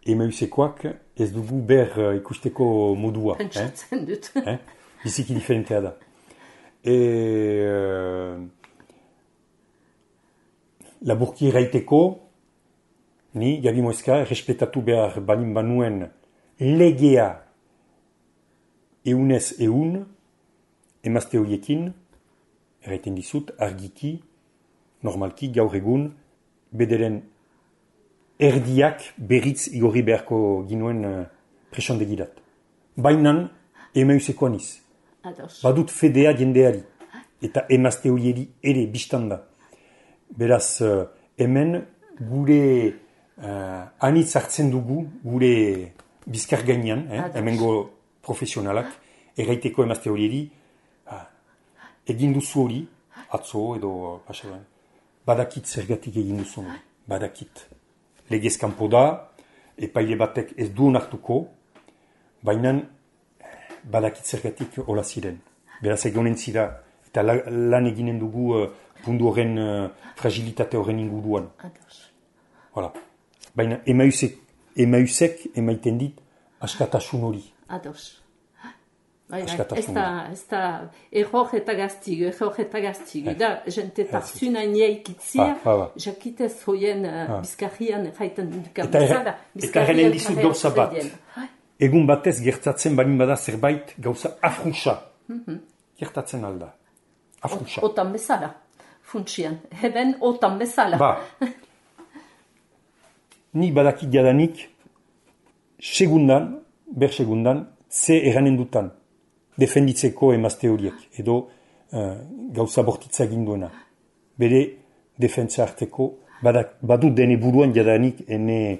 emeusekoak ez dugu ber uh, ikusteko modua. Pentsatzen eh? dut. eh? Biziki diferentea da. E, uh, laburki erraiteko, ni, Gabi Muezka, errespetatu behar banin banuen legea eunez eun, emazte horiekin, erraiten dizut, argiki, normalki, gaur egun, bederen erdiak berriz igorri beharko ginuen uh, presondegirat. Bainan, emeusekoa niz. Badut fedea jendeari, eta emazte horieri ere biztanda. Beraz, uh, hemen gure uh, anitz hartzen dugu, gure bizkar gainean, eh, hemengo profesionalak, erraiteko emazte horieri, egin duzu hori, atzo edo pasaran, badakit zergatik egin duzu hori, badakit. Legez kanpo da, epaile batek ez duen hartuko, baina badakit zergatik hola ziren. Beraz egonen zira, eta la, lan eginen dugu uh, pundu horren uh, fragilitate horren inguruan. Voilà. Baina emausek, emausek emaiten dit askatasun hori. Ados. askatasuna. Ez da error eta gaztigu, error eta gaztigu. Da, jente tarzuna ineaikitzia, jakitez hoien bizkarrian erraiten dukan bezala. Eta erren dizut gauza bat. Egun batez gertatzen balin bada zerbait gauza afruxa. Gertatzen alda. Afruxa. Otan bezala. Funtsian. Heben otan bezala. Ba. Ni badakit jadanik segundan, ber segundan, ze eranen dutan. Defenditzeko emazte horiek. Edo uh, gauza bortitza ginduena. Bere defentsa harteko badak, badu dene buruan jadanik ene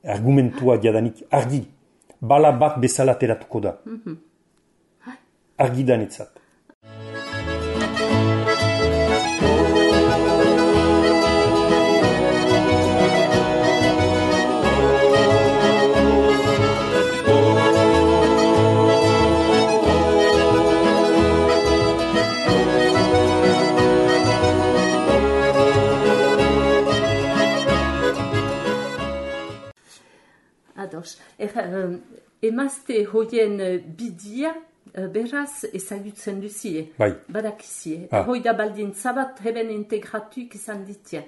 argumentua jadanik argi. Bala bat bezala teratuko da. Mm-hmm. Argi danetzat. Er, uh, emazte hoien bidia uh, beraz ezagutzen duzie. Bai. Badakizie. Ah. Hoi da baldin zabat heben integratuik izan ditia.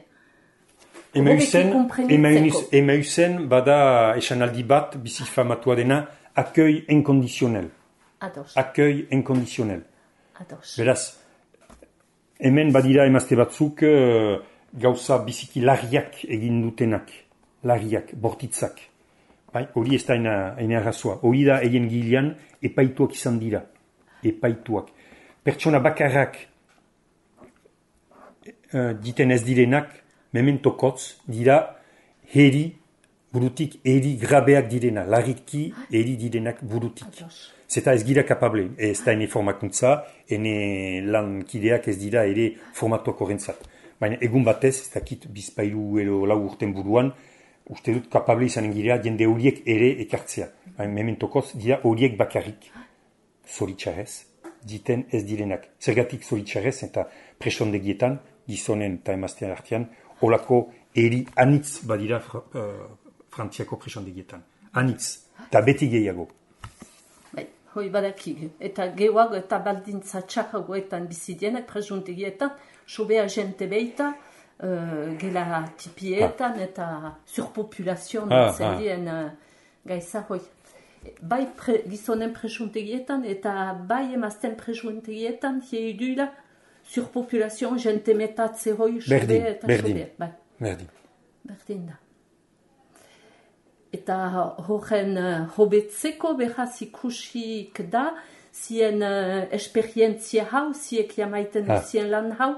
Emauzen bada esanaldi bat bizi famatua dena accueil inconditionnel. Ados. Accueil inconditionnel. Ados. Beraz, hemen badira emazte batzuk uh, gauza biziki larriak egin dutenak. Larriak, bortitzak. Bai, hori ez da ena arrazoa. Hori da egin gilean epaituak izan dira. Epaituak. Pertsona bakarrak uh, diten ez direnak, mementokotz, dira heri burutik, heri grabeak direna. Larriki heri direnak burutik. Zeta ez gira kapable. Ez da ene formakuntza, ene lankideak ez dira ere formatuak horrentzat. Baina egun batez, ez dakit bizpailu edo lau urten buruan, uste dut kapable izanen girea jende horiek ere ekartzea. Mementokoz dira horiek bakarrik. Zoritxarrez, diten ez direnak. Zergatik zoritxarrez eta presondegietan, gizonen eta emaztean artean, holako eri anitz badira fr uh, frantziako presondegietan. Anitz, eta beti gehiago. Bai, hoi badakik. Eta gehuago eta baldintza txakagoetan bizidienak presondegietan, sobea jente beita, Uh, gela tipietan ah. eta surpopulazioan ah, zendien ah. uh, gaisa hoi. Bai pre, gizonen presuntegietan eta bai emazten presuntegietan hieduila surpopulazioan jente metatze hoi sobe eta berdin. sobe. Bai. Berdin. Berdin da. Eta horren uh, hobetzeko behaz ikusik da zien uh, esperientzia hau, ziek jamaiten ah. zien lan hau,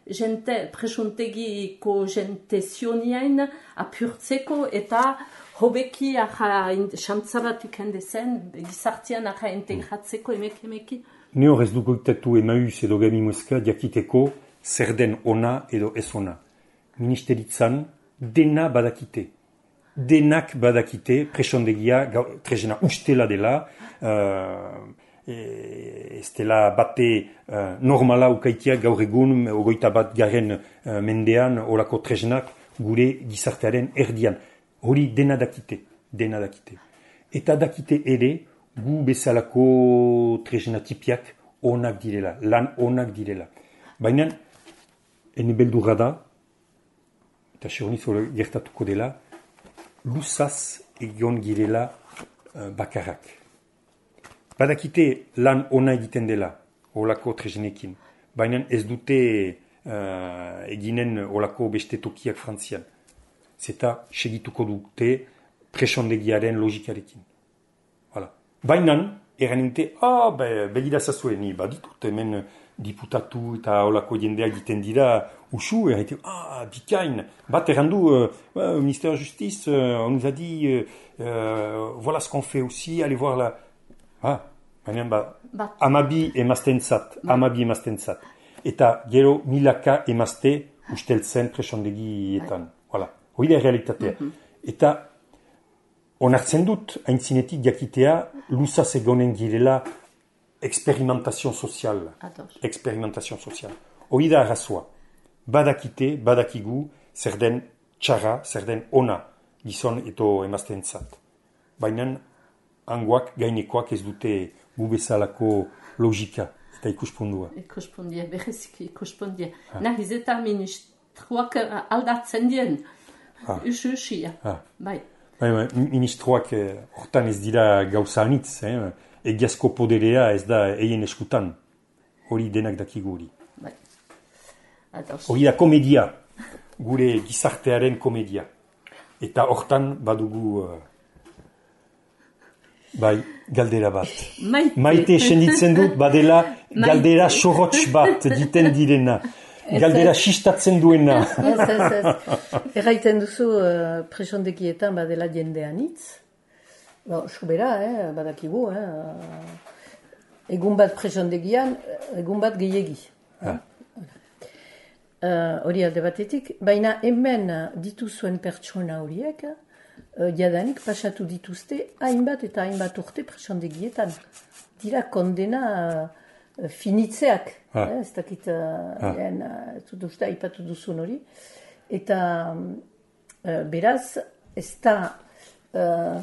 jente, presuntegiko jente zioniain apurtzeko eta hobeki aha xantzabatuk handezen, gizartian aha integratzeko emek emeki. Ne horrez dugu itetu emaus edo gami muska diakiteko zer den ona edo ez ona. Ministeritzan dena badakite. Denak badakite presondegia trezena ustela dela, uh, E, ez dela bate uh, normala ukaitia gaur egun ogoita bat garen uh, mendean olako tresnak gure gizartearen erdian. Hori dena dakite, dena dakite. Eta dakite ere gu bezalako tresna tipiak onak direla, lan onak direla. Baina, ene beldurra da, eta seurniz hori gertatuko dela, luzaz egon girela uh, bakarrak. Badakite lan ona egiten dela, olako tresnekin. Baina ez dute uh, eginen olako beste tokiak Frantzian. Zeta segituko dute presondegiaren logikarekin. Voilà. Baina, eraninte, ah, be, begira zazue, ni baditut hemen diputatu eta olako jendeak egiten dira usu, erraite, ah, bikain, bat errandu, uh, uh, ministère de Justice, uh, on nous a dit, uh, uh, voilà ce qu'on fait aussi, allez voir la... Ah, baina ba, amabi emaztentzat, amabi emaztentzat. Eta gero milaka emazte usteltzen presondegietan. Voilà. Hoi da realitatea. Mm-hmm. Eta onartzen dut, haintzinetik jakitea, luzaz egonen girela experimentazio sozial. Experimentazio sozial. Hoi da arrazoa. Badakite, badakigu, zer den txarra, zer den ona, gizon eto emaztentzat. Baina, hangoak, gainekoak ez dute gu bezalako logika, eta ikuspundua. Ikuspondia, bereziki ikuspondia. Nahiz eta ministroak aldatzen dien, usu usia, bai. Bai, bai, ministroak hortan ez dira gauza anitz, eh? Egiazko poderea ez da eien eskutan, hori denak dakigu hori. Bai. Hori da komedia, gure gizartearen komedia. Eta hortan badugu, uh, bai, galdera bat. Maite. Maite senditzen dut, badela galdera sorotx bat diten direna. Galdera sistatzen duena. Ez, ez, ez. Erraiten duzu uh, presondekietan badela jendean hitz. Ba, sobera, eh, badakigu, eh. Egun bat presondegian, egun bat gehiegi. Ha. Hori uh, alde batetik, baina hemen dituzuen pertsona horiek, uh, jadanik pasatu dituzte hainbat eta hainbat urte presondegietan. Dira kondena uh, finitzeak, eh, ez dakit, uh, en, uh, ez dut uste aipatu duzun hori. Eta uh, beraz, ez da, uh,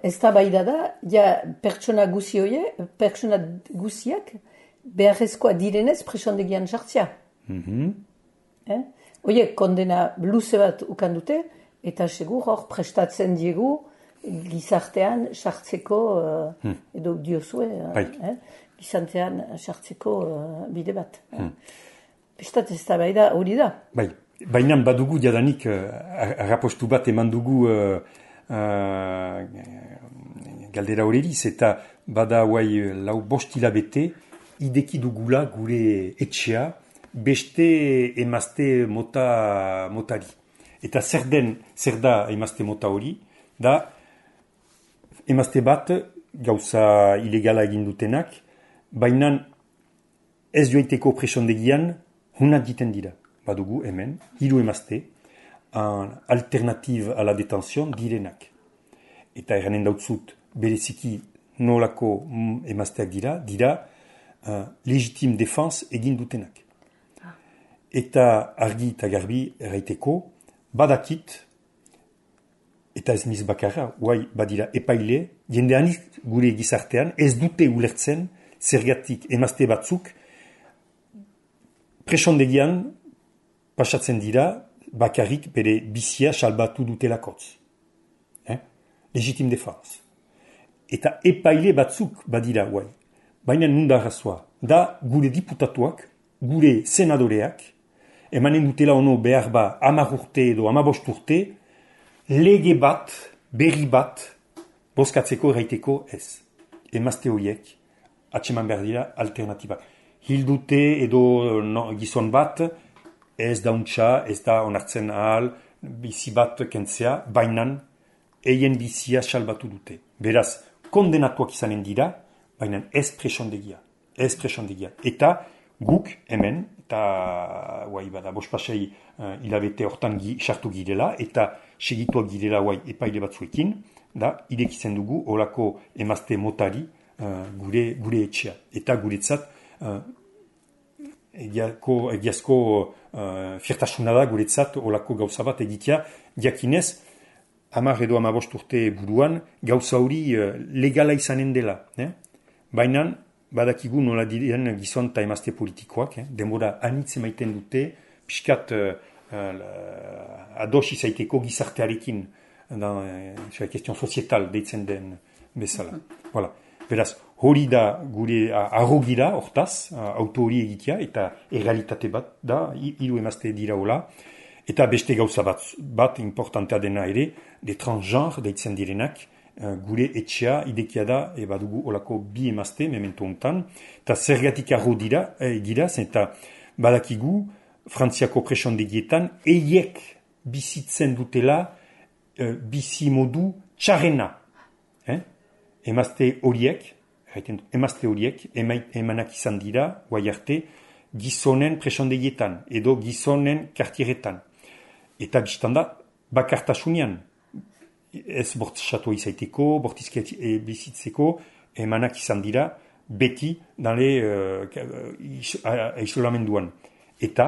ez da baida da, ja pertsona guzi hoie, pertsona guziak beharrezkoa direnez presondegian sartzea. Mhm. Eh? Oiek kondena luze bat ukan dute, eta segur hor prestatzen diegu gizartean sartzeko, uh, hmm. edo diozue, uh, eh? gizartean sartzeko uh, bide bat. Hmm. Bestat ez da bai da hori da. Bai, baina badugu jadanik uh, arrapostu bat eman dugu uh, uh, galdera horreriz, eta bada guai lau bost hilabete ideki dugula gure etxea, beste emazte mota motari. Eta zer den, zer da emazte mota hori, da emazte bat gauza ilegala egin dutenak, baina ez joaiteko presondegian hunat diten dira. Badugu hemen, hiru emazte, alternative a la detenzion direnak. Eta eranen dautzut bereziki nolako emazteak dira, dira uh, legitime defense egin dutenak. Eta argi eta garbi erraiteko, badakit, eta ez niz bakarra, guai badira epaile, jendeanik gure gizartean ez dute ulertzen zergatik emazte batzuk presondegian pasatzen dira bakarrik bere bizia salbatu dutelakotz. Eh? Legitime defense. Eta epaile batzuk badira guai. Baina nunda arrazoa. Da gure diputatuak, gure senadoreak, emanen dutela ono behar ba hamar urte edo hamabost urte, lege bat, berri bat, bozkatzeko erraiteko ez. Emazte horiek, atseman behar dira alternatiba. Hildute edo no, gizon bat, ez da untxa, ez da onartzen ahal, bizi bat kentzea, bainan, eien bizia salbatu dute. Beraz, kondenatuak izanen dira, bainan ez presondegia. Ez presondegia. Eta guk hemen, eta guai bada bospasei uh, hilabete hortan gi, sartu girela, eta segituak girela guai epaile batzuekin, da, irekitzen dugu olako emazte motari uh, gure, gure etxea. Eta guretzat, uh, egiazko, egiazko uh, fiertasuna da guretzat olako gauza bat egitea, jakinez, hamar edo hamabost urte buruan, gauza hori uh, legala izanen dela. Eh? Baina, badakigu nola diren gizon eta emazte politikoak, eh? denbora anitz emaiten dute, piskat uh, uh, ados izaiteko gizartearekin, dans la question sociétale deitzen den bezala. Voilà. Beraz, hori da gure arrogira hortaz, auto hori egitea, eta errealitate bat da, hiru emazte dira hola, eta beste gauza bat, bat importantea dena ere, de transgenre deitzen direnak, gure etxea idekia da, e badugu olako bi emazte, memento hontan, eta zergatik arro dira, e, gira, eta badakigu, Frantziako presondegietan, eiek bizitzen dutela, e, bizi modu txarrena. Eh? Emazte horiek, emazte horiek, emanak izan dira, guai arte, gizonen presondegietan, edo gizonen kartieretan. Eta biztanda, bakartasunian, ez bortxatu izaiteko, bortizket e, bizitzeko, emanak izan dira, beti, dale, uh, isolamenduan. Eta,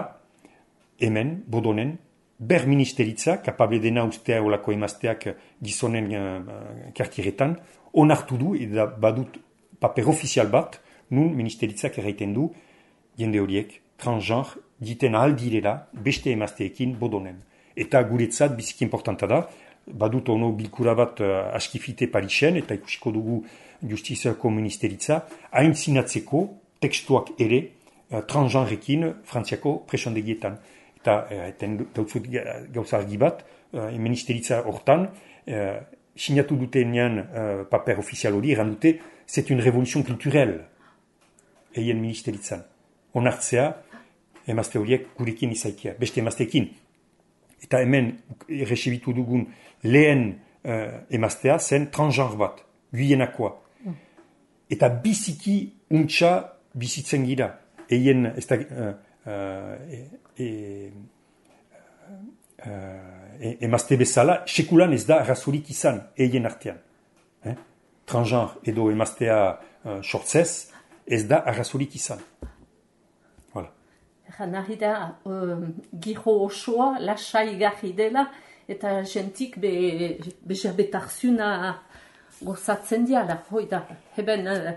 hemen, bodonen, ber ministeritza, kapable dena ustea olako emazteak gizonen uh, kartieretan, onartu du, eta badut paper ofizial bat, nun ministeritzak erraiten du, jende horiek, transgenre, diten ahal direla, beste emazteekin bodonen. Eta guretzat biziki importanta da, badut ono bilkura bat uh, askifite Parisen, eta ikusiko dugu justiziako ministeritza, hain zinatzeko tekstuak ere uh, transgenrekin frantziako presondegietan. Eta eten dautzut gauza argi bat, uh, ministeritza hortan, uh, sinatu dutenean uh, paper ofizial hori, eran dute, c'est une révolution culturelle, eien ministeritzan. Onartzea, emazte horiek gurekin izaikia, beste emazteekin. Eta hemen erresebitu dugun lehen uh, emaztea zen transgenre bat, guienakoa. Mm. Eta biziki untxa bizitzen gira. Eien, ez da, uh, uh, e, e, uh, emazte bezala, sekulan ez da arrazorik izan, eien artean. Eh? Transgenre edo emaztea uh, sortzez, ez da arrazorik izan. Nahi da, uh, giro osoa, lasai garri dela, eta jentik be, bezabetarzuna gozatzen diala. Hoi da, heben uh,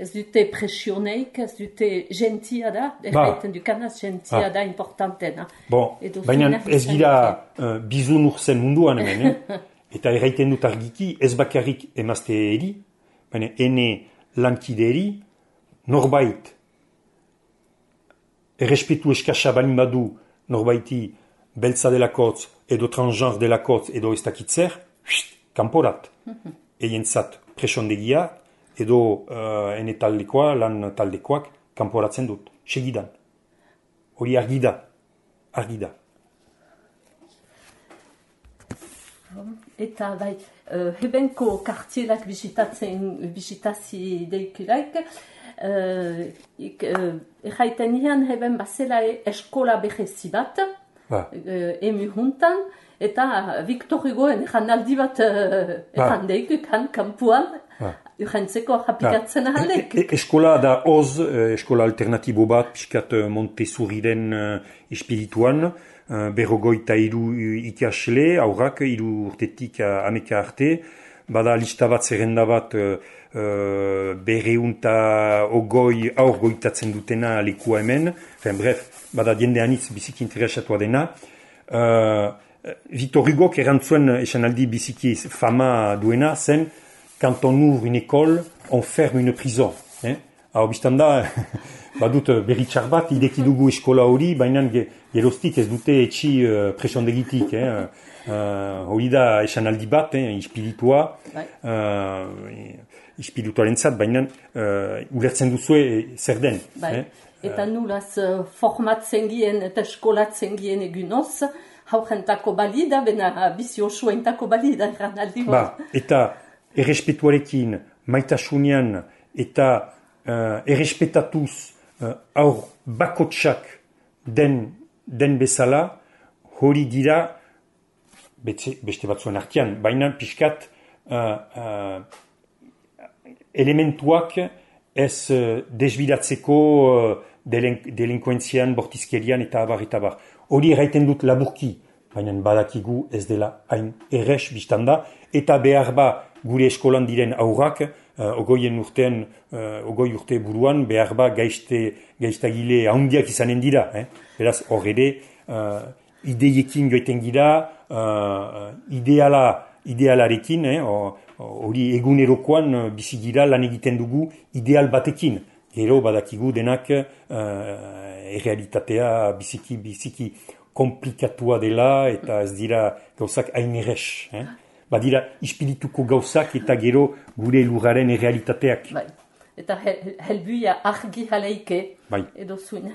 ez dute presioneik, ez dute gentia da, erraiten dukanaz gentia da importantena. Bon, baina ez gira uh, bizun urzen munduan hemen, eh? Eta erraiten dut argiki, ez bakarrik emazte eri, baina ene lankide eri, norbait, errespetu eskasa bani badu norbaiti beltza delakotz edo transgenre delakotz edo ez dakitzer, kanporat. Mm-hmm. Eientzat presondegia edo uh, ene taldekoa, lan taldekoak kanporatzen dut, segidan. Hori argi da, argi da. Eta bai, uh, hebenko kartzielak bisitatzen, bisitazi deikulaik, Uh, ik, uh, erraiten nian heben bazela eskola behezi bat, ba. uh, emu juntan, eta Victor Hugoen janaldi bat uh, errandeik, kan kampuan, ba. Urrentzeko japikatzen ba. Ahaldek. E, e, eskola da oz, eskola alternatibo bat, piskat Montessoriren uh, espirituan, uh, berrogoita iru ikasle, aurrak, iru urtetik uh, ameka arte, bada lista bat, zerrenda bat, uh, Uh, berreunta ogoi aur goitatzen dutena lekua hemen, enfin, bref, bada diende anitz biziki interesatua dena. Uh, Victor Hugo erantzuen esan aldi biziki fama duena zen, quand on ouvre une école, on ferme une prison. Eh? Hau biztanda, badut berritxar bat, ideki dugu eskola hori, baina geroztik ez dute etxi uh, presondegitik. Eh? Uh, hori da esan aldi bat, eh? Espiritua. Uh, Espirituaren zat, baina uh, ulertzen duzue zer den. Bai. Eh? Eta nulaz uh, formatzen gien eta eskolatzen gien egunoz, haurentako balida, bena bizi osoentako balida eran aldi ba, eta errespetuarekin, maitasunian, eta uh, errespetatuz uh, aur bakotsak den, den bezala, hori dira, beste, beste batzuen artean, baina pixkat, uh, uh, elementuak ez uh, desbidatzeko uh, delenk, delinkuentzian, bortizkerian eta abar eta abar. Hori erraiten dut laburki, baina badakigu ez dela hain erres biztanda, eta behar ba gure eskolan diren aurrak, uh, ogoien urtean, uh, ogoi urte buruan, behar ba gaizte, gaiztagile handiak izanen dira. Eh? Beraz, hor ere, uh, ideiekin joiten gira, uh, ideala, idealarekin, eh? o, hori egunerokoan bizigira lan egiten dugu ideal batekin. Gero badakigu denak uh, errealitatea biziki, biziki komplikatua dela eta ez dira gauzak hain erres. Eh? Badira ispirituko gauzak eta gero gure lurraren errealitateak. Bai. Eta helbuia argi jaleike bai. Edo zuen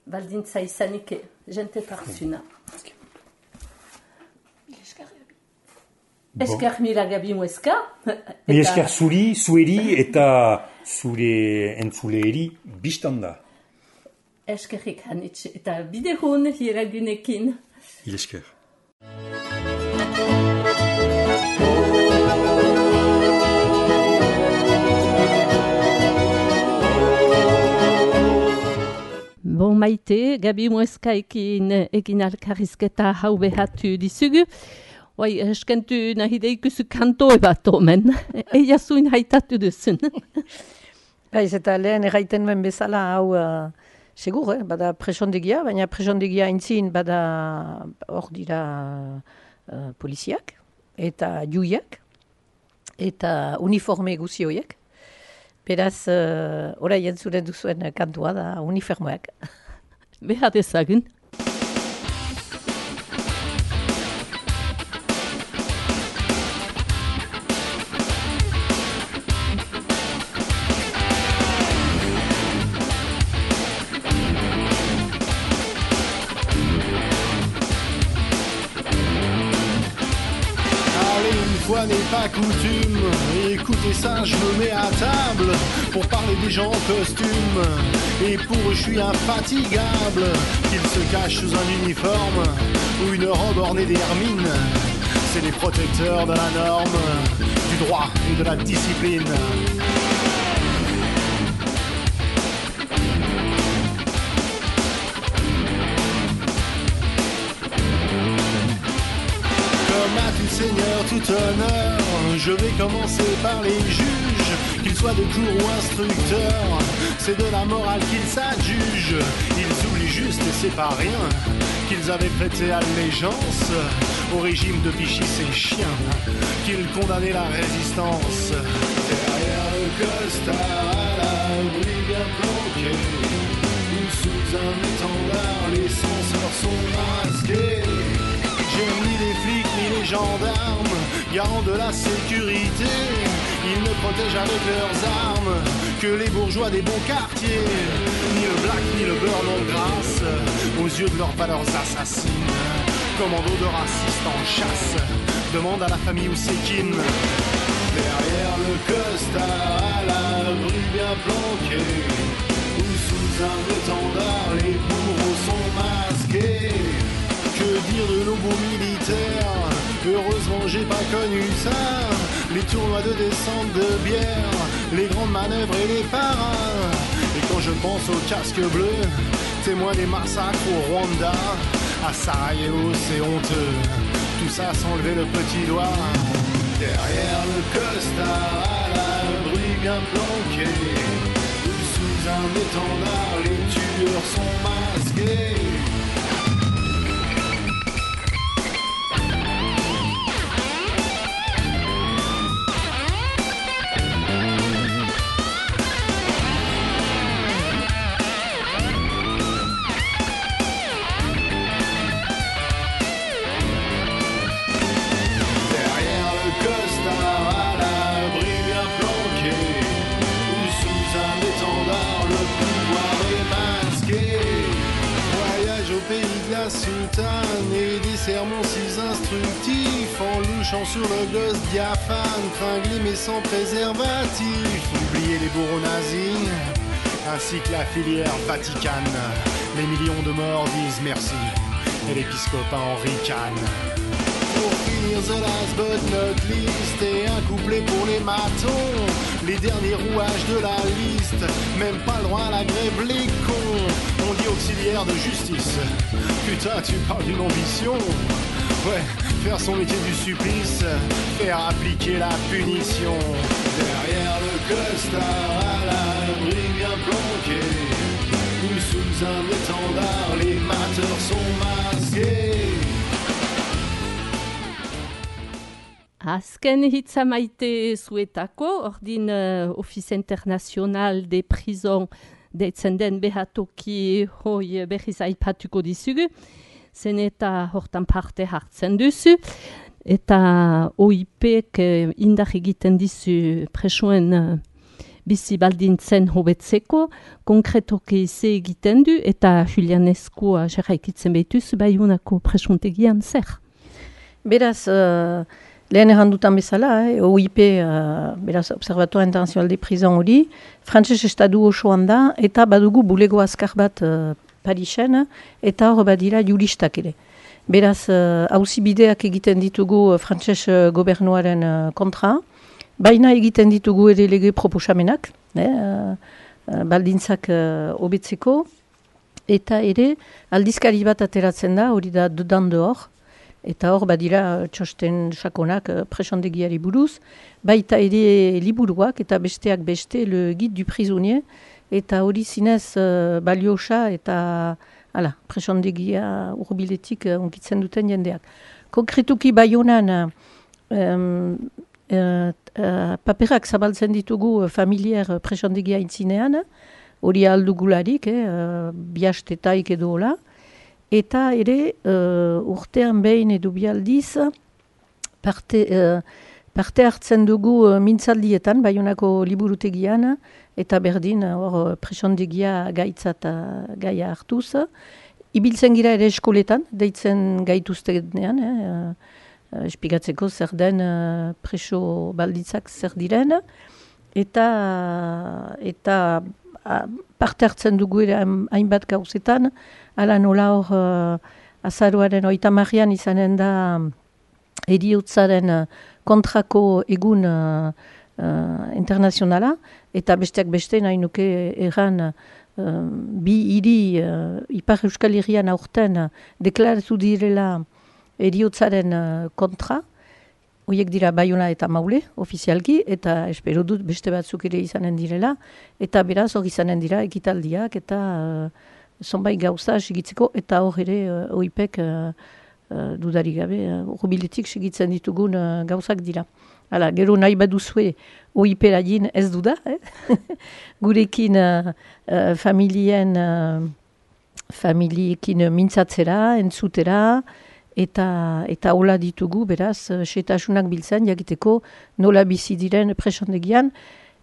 baldintza izanike jente tarzuna. Bai. Esker mila gabi mueska. Mi esker zuri, zueri eta zure entzuleeri biztanda. Eskerrik hanitz eta bidehun hiragunekin. Il esker. Bon maite, gabi mueskaekin egin alkarrizketa hau behatu dizugu. Oi, eskentu nahi deikuzu kantoe bat omen. Eia zuin haitatu duzun. Baiz, eta lehen erraiten ben bezala hau uh, segur, eh? Bada presondegia, baina presondegia aintzin bada hor dira uh, poliziak eta juiak eta uniforme guzi horiek. Beraz, uh, orai entzuren duzuen kantua da uniformeak. Behar dezagun. N'est pas coutume, écoutez ça, je me mets à table pour parler des gens en costume. Et pour eux, je suis infatigable, qu'ils se cachent sous un uniforme ou une robe ornée d'hermine. C'est les protecteurs de la norme, du droit et de la discipline. Seigneur, tout honneur, je vais commencer par les juges, qu'ils soient de cour ou instructeurs, c'est de la morale qu'ils s'adjugent. Ils oublient juste, et c'est pas rien, qu'ils avaient prêté allégeance au régime de Vichy, ces chiens, qu'ils condamnaient la résistance. Derrière le costard, à l'abri bien planqué, ou sous un étendard, les censeurs sont masqués. J'aime ni les flics ni les gendarmes, garants de la sécurité. Ils ne protègent avec leurs armes que les bourgeois des bons quartiers. Ni le black ni le beurre non grâce, aux yeux de leurs valeurs assassines. Commando de racistes en chasse, demande à la famille où c'est kin. Derrière le costard, à l'abri bien planqué, ou sous un étendard, les bourreaux sont masqués. Que dire de nos beaux militaires? Heureusement j'ai pas connu ça. Les tournois de descente de bière, les grandes manœuvres et les parrains. Et quand je pense aux casques bleus, témoins des massacres au Rwanda, à Sarajevo c'est honteux, tout ça sans lever le petit doigt. Derrière le costard, à l'abri bien planqué, ou sous un étendard, les tueurs sont masqués. Soutane et des sermons si instructifs, en louchant sur le gosse diaphane, tringlé mais sans préservatif. Oubliez les bourreaux nazis, ainsi que la filière vaticane. Les millions de morts disent merci, et l'épiscopat en ricane. Pour finir the last but not least, et un couplet pour les matons, les derniers rouages de la liste, même pas le droit à la grève, les cons. On dit auxiliaire de justice, putain tu parles d'une ambition. Ouais, faire son métier du supplice, faire appliquer la punition. Derrière le costard, à l'abri bien planqué, ou sous un étendard, les mateurs sont masqués. Azken hitza maite zuetako, ordin uh, Office International des Prisons deitzen den behatoki hoi berriz aipatuko dizugu, zen eta hortan parte hartzen duzu, eta O I P-ek uh, indar egiten dizu presoen uh, bizi baldintzen hobetzeko, konkretoki ze egiten du, eta Julian Eskua jarraikitzen behituzu Baiunako presuntegian zer? Beraz, uh... lehen errandutan bezala, eh, O I P, uh, beraz, Observatoire International des Prisons hori, frantses estadu osoan da, eta badugu bulego azkar bat uh, Parisen, eta hor badira juristak ere. Beraz, auzibideak uh, egiten ditugu uh, frantses uh, gobernuaren uh, kontra, baina egiten ditugu ere lege proposamenak, eh, uh, uh, baldintzak hobetzeko, uh, eta ere aldizkari bat ateratzen da, hori da dedan dehor, eta hor badira txosten sakonak presondegiari buruz, baita ere liburuak eta besteak beste le guide du prisonnier, eta hori zinez uh, baliosa eta ala, presondegia urbiletik uh, unkitzen duten jendeak. Konkretuki Baionan uh, um, uh, uh, paperak zabaltzen ditugu uh, familiar presondegia intzinean, hori aldugularik, eh, uh, biastetaik edo hola, eta ere uh, urtean behin edo bialdiz parte, uh, parte hartzen dugu uh, mintzaldietan, Baionako liburutegian, eta berdin hor presondegia gaitzat gaia hartuz. Ibiltzen gira ere eskoletan, deitzen gaituztenean, eh, uh, espigatzeko zer den uh, preso balditzak zer diren, eta, eta uh, parte hartzen dugu ere hainbat gauzetan, ala nola hor uh, azaroaren oita marrian izanen da eriotzaren kontrako egun uh, uh, internazionala, eta besteak beste nahi nuke erran uh, bi hiri uh, Ipar Euskal Herrian aurten uh, deklaratu direla eriotzaren uh, kontra, horiek dira Baiona eta Maule, ofizialki, eta espero dut beste batzuk ere izanen direla, eta beraz hor izanen dira ekitaldiak, eta uh, zonbait gauza segitzeko, eta hor ere uh, oipek uh, uh, dudarik gabe, uh, urbiletik segitzen ditugun uh, gauzak dira. Hala, gero nahi baduzue oipera din ez duda, eh? Gurekin uh, uh, familien, uh, familiekin mintzatzera, entzutera, eta eta hola ditugu, beraz, setasunak biltzen, jakiteko nola bizi diren presondegian.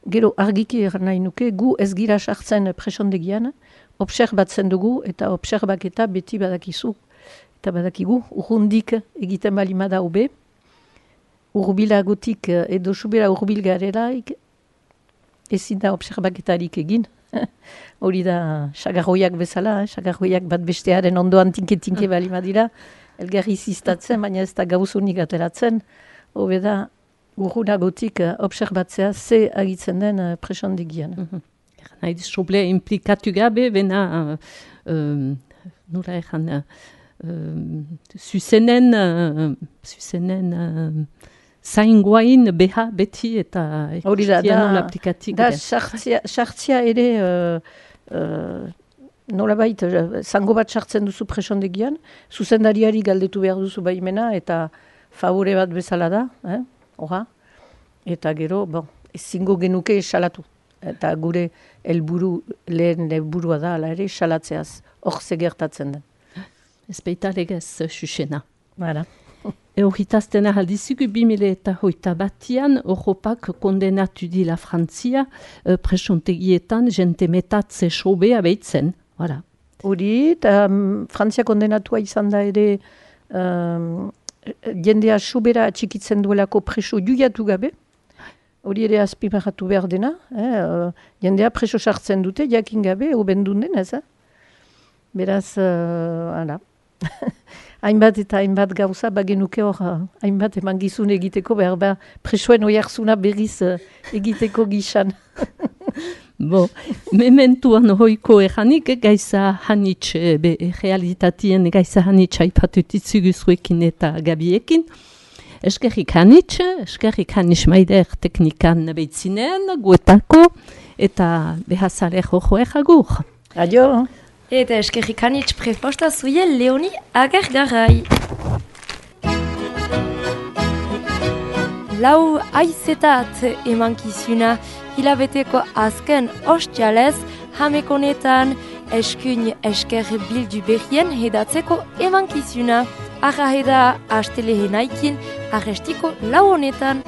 Gero argiki nahi nuke, gu ez gira sartzen presondegian, obserbatzen dugu, eta obserbaketa beti badakizu, eta badakigu, urrundik egiten balimada hobe, urbilagotik edo subera urbil garelaik, ezin da obserbaketarik egin. Hori da, sagarroiak bezala, sagarroiak bat bestearen ondoan tinke-tinke balimadira, elgarri ziztatzen, baina ez da gauzunik ateratzen, hobe da, urrunagotik obserbatzea ze agitzen den presondegian. Nahi dizoble implikatu gabe, bena, uh, nura egan, uh, zuzenen, uh, zuzenen, uh, zaingoain beha beti eta ekustien aplikatik. Da, sartzia ere, uh, uh, nolabait, zango bat sartzen duzu presondegian, zuzendariari galdetu behar duzu baimena, eta favore bat bezala da, eh? Oha, eta gero, bon, ezingo genuke salatu. Eta gure helburu lehen helburua da, ala ere, salatzeaz, hor zegertatzen den. Ez baita legez, xuxena. Bara. Eurritazten ahaldizugu bi mila eta hoita batian, Europak kondenatu dila Frantzia, uh, presontegietan jente metatze sobea behitzen. Voilà. Hori, eta um, Frantzia kondenatua izan da ere um, jendea sobera atxikitzen duelako preso juiatu gabe. Hori ere azpimarratu behar dena. Eh? Uh, jendea preso sartzen dute, jakin gabe, obendun denez. Eh? Beraz, uh, ala. Hainbat eta hainbat gauza, bagenuke hor, hainbat eman gizun egiteko, behar behar presoen oiarzuna berriz uh, egiteko gixan. Bo, mementuan hoiko eranik, gaiza hanitz, be, realitatien gaiza hanitz haipatutitzugu zuekin eta gabiekin. Eskerrik hanitz, eskerrik hanitz maider teknikan behitzinen, guetako, eta behazale jojo egagur. Adio. Eta eskerrik hanitz preposta zuie Leoni Agergarai. Lau aizetat emankizuna, hilabeteko azken ostialez, hamekonetan eskuin esker bildu berrien hedatzeko emankizuna. Arra heda astelehenaikin, arrestiko lau honetan.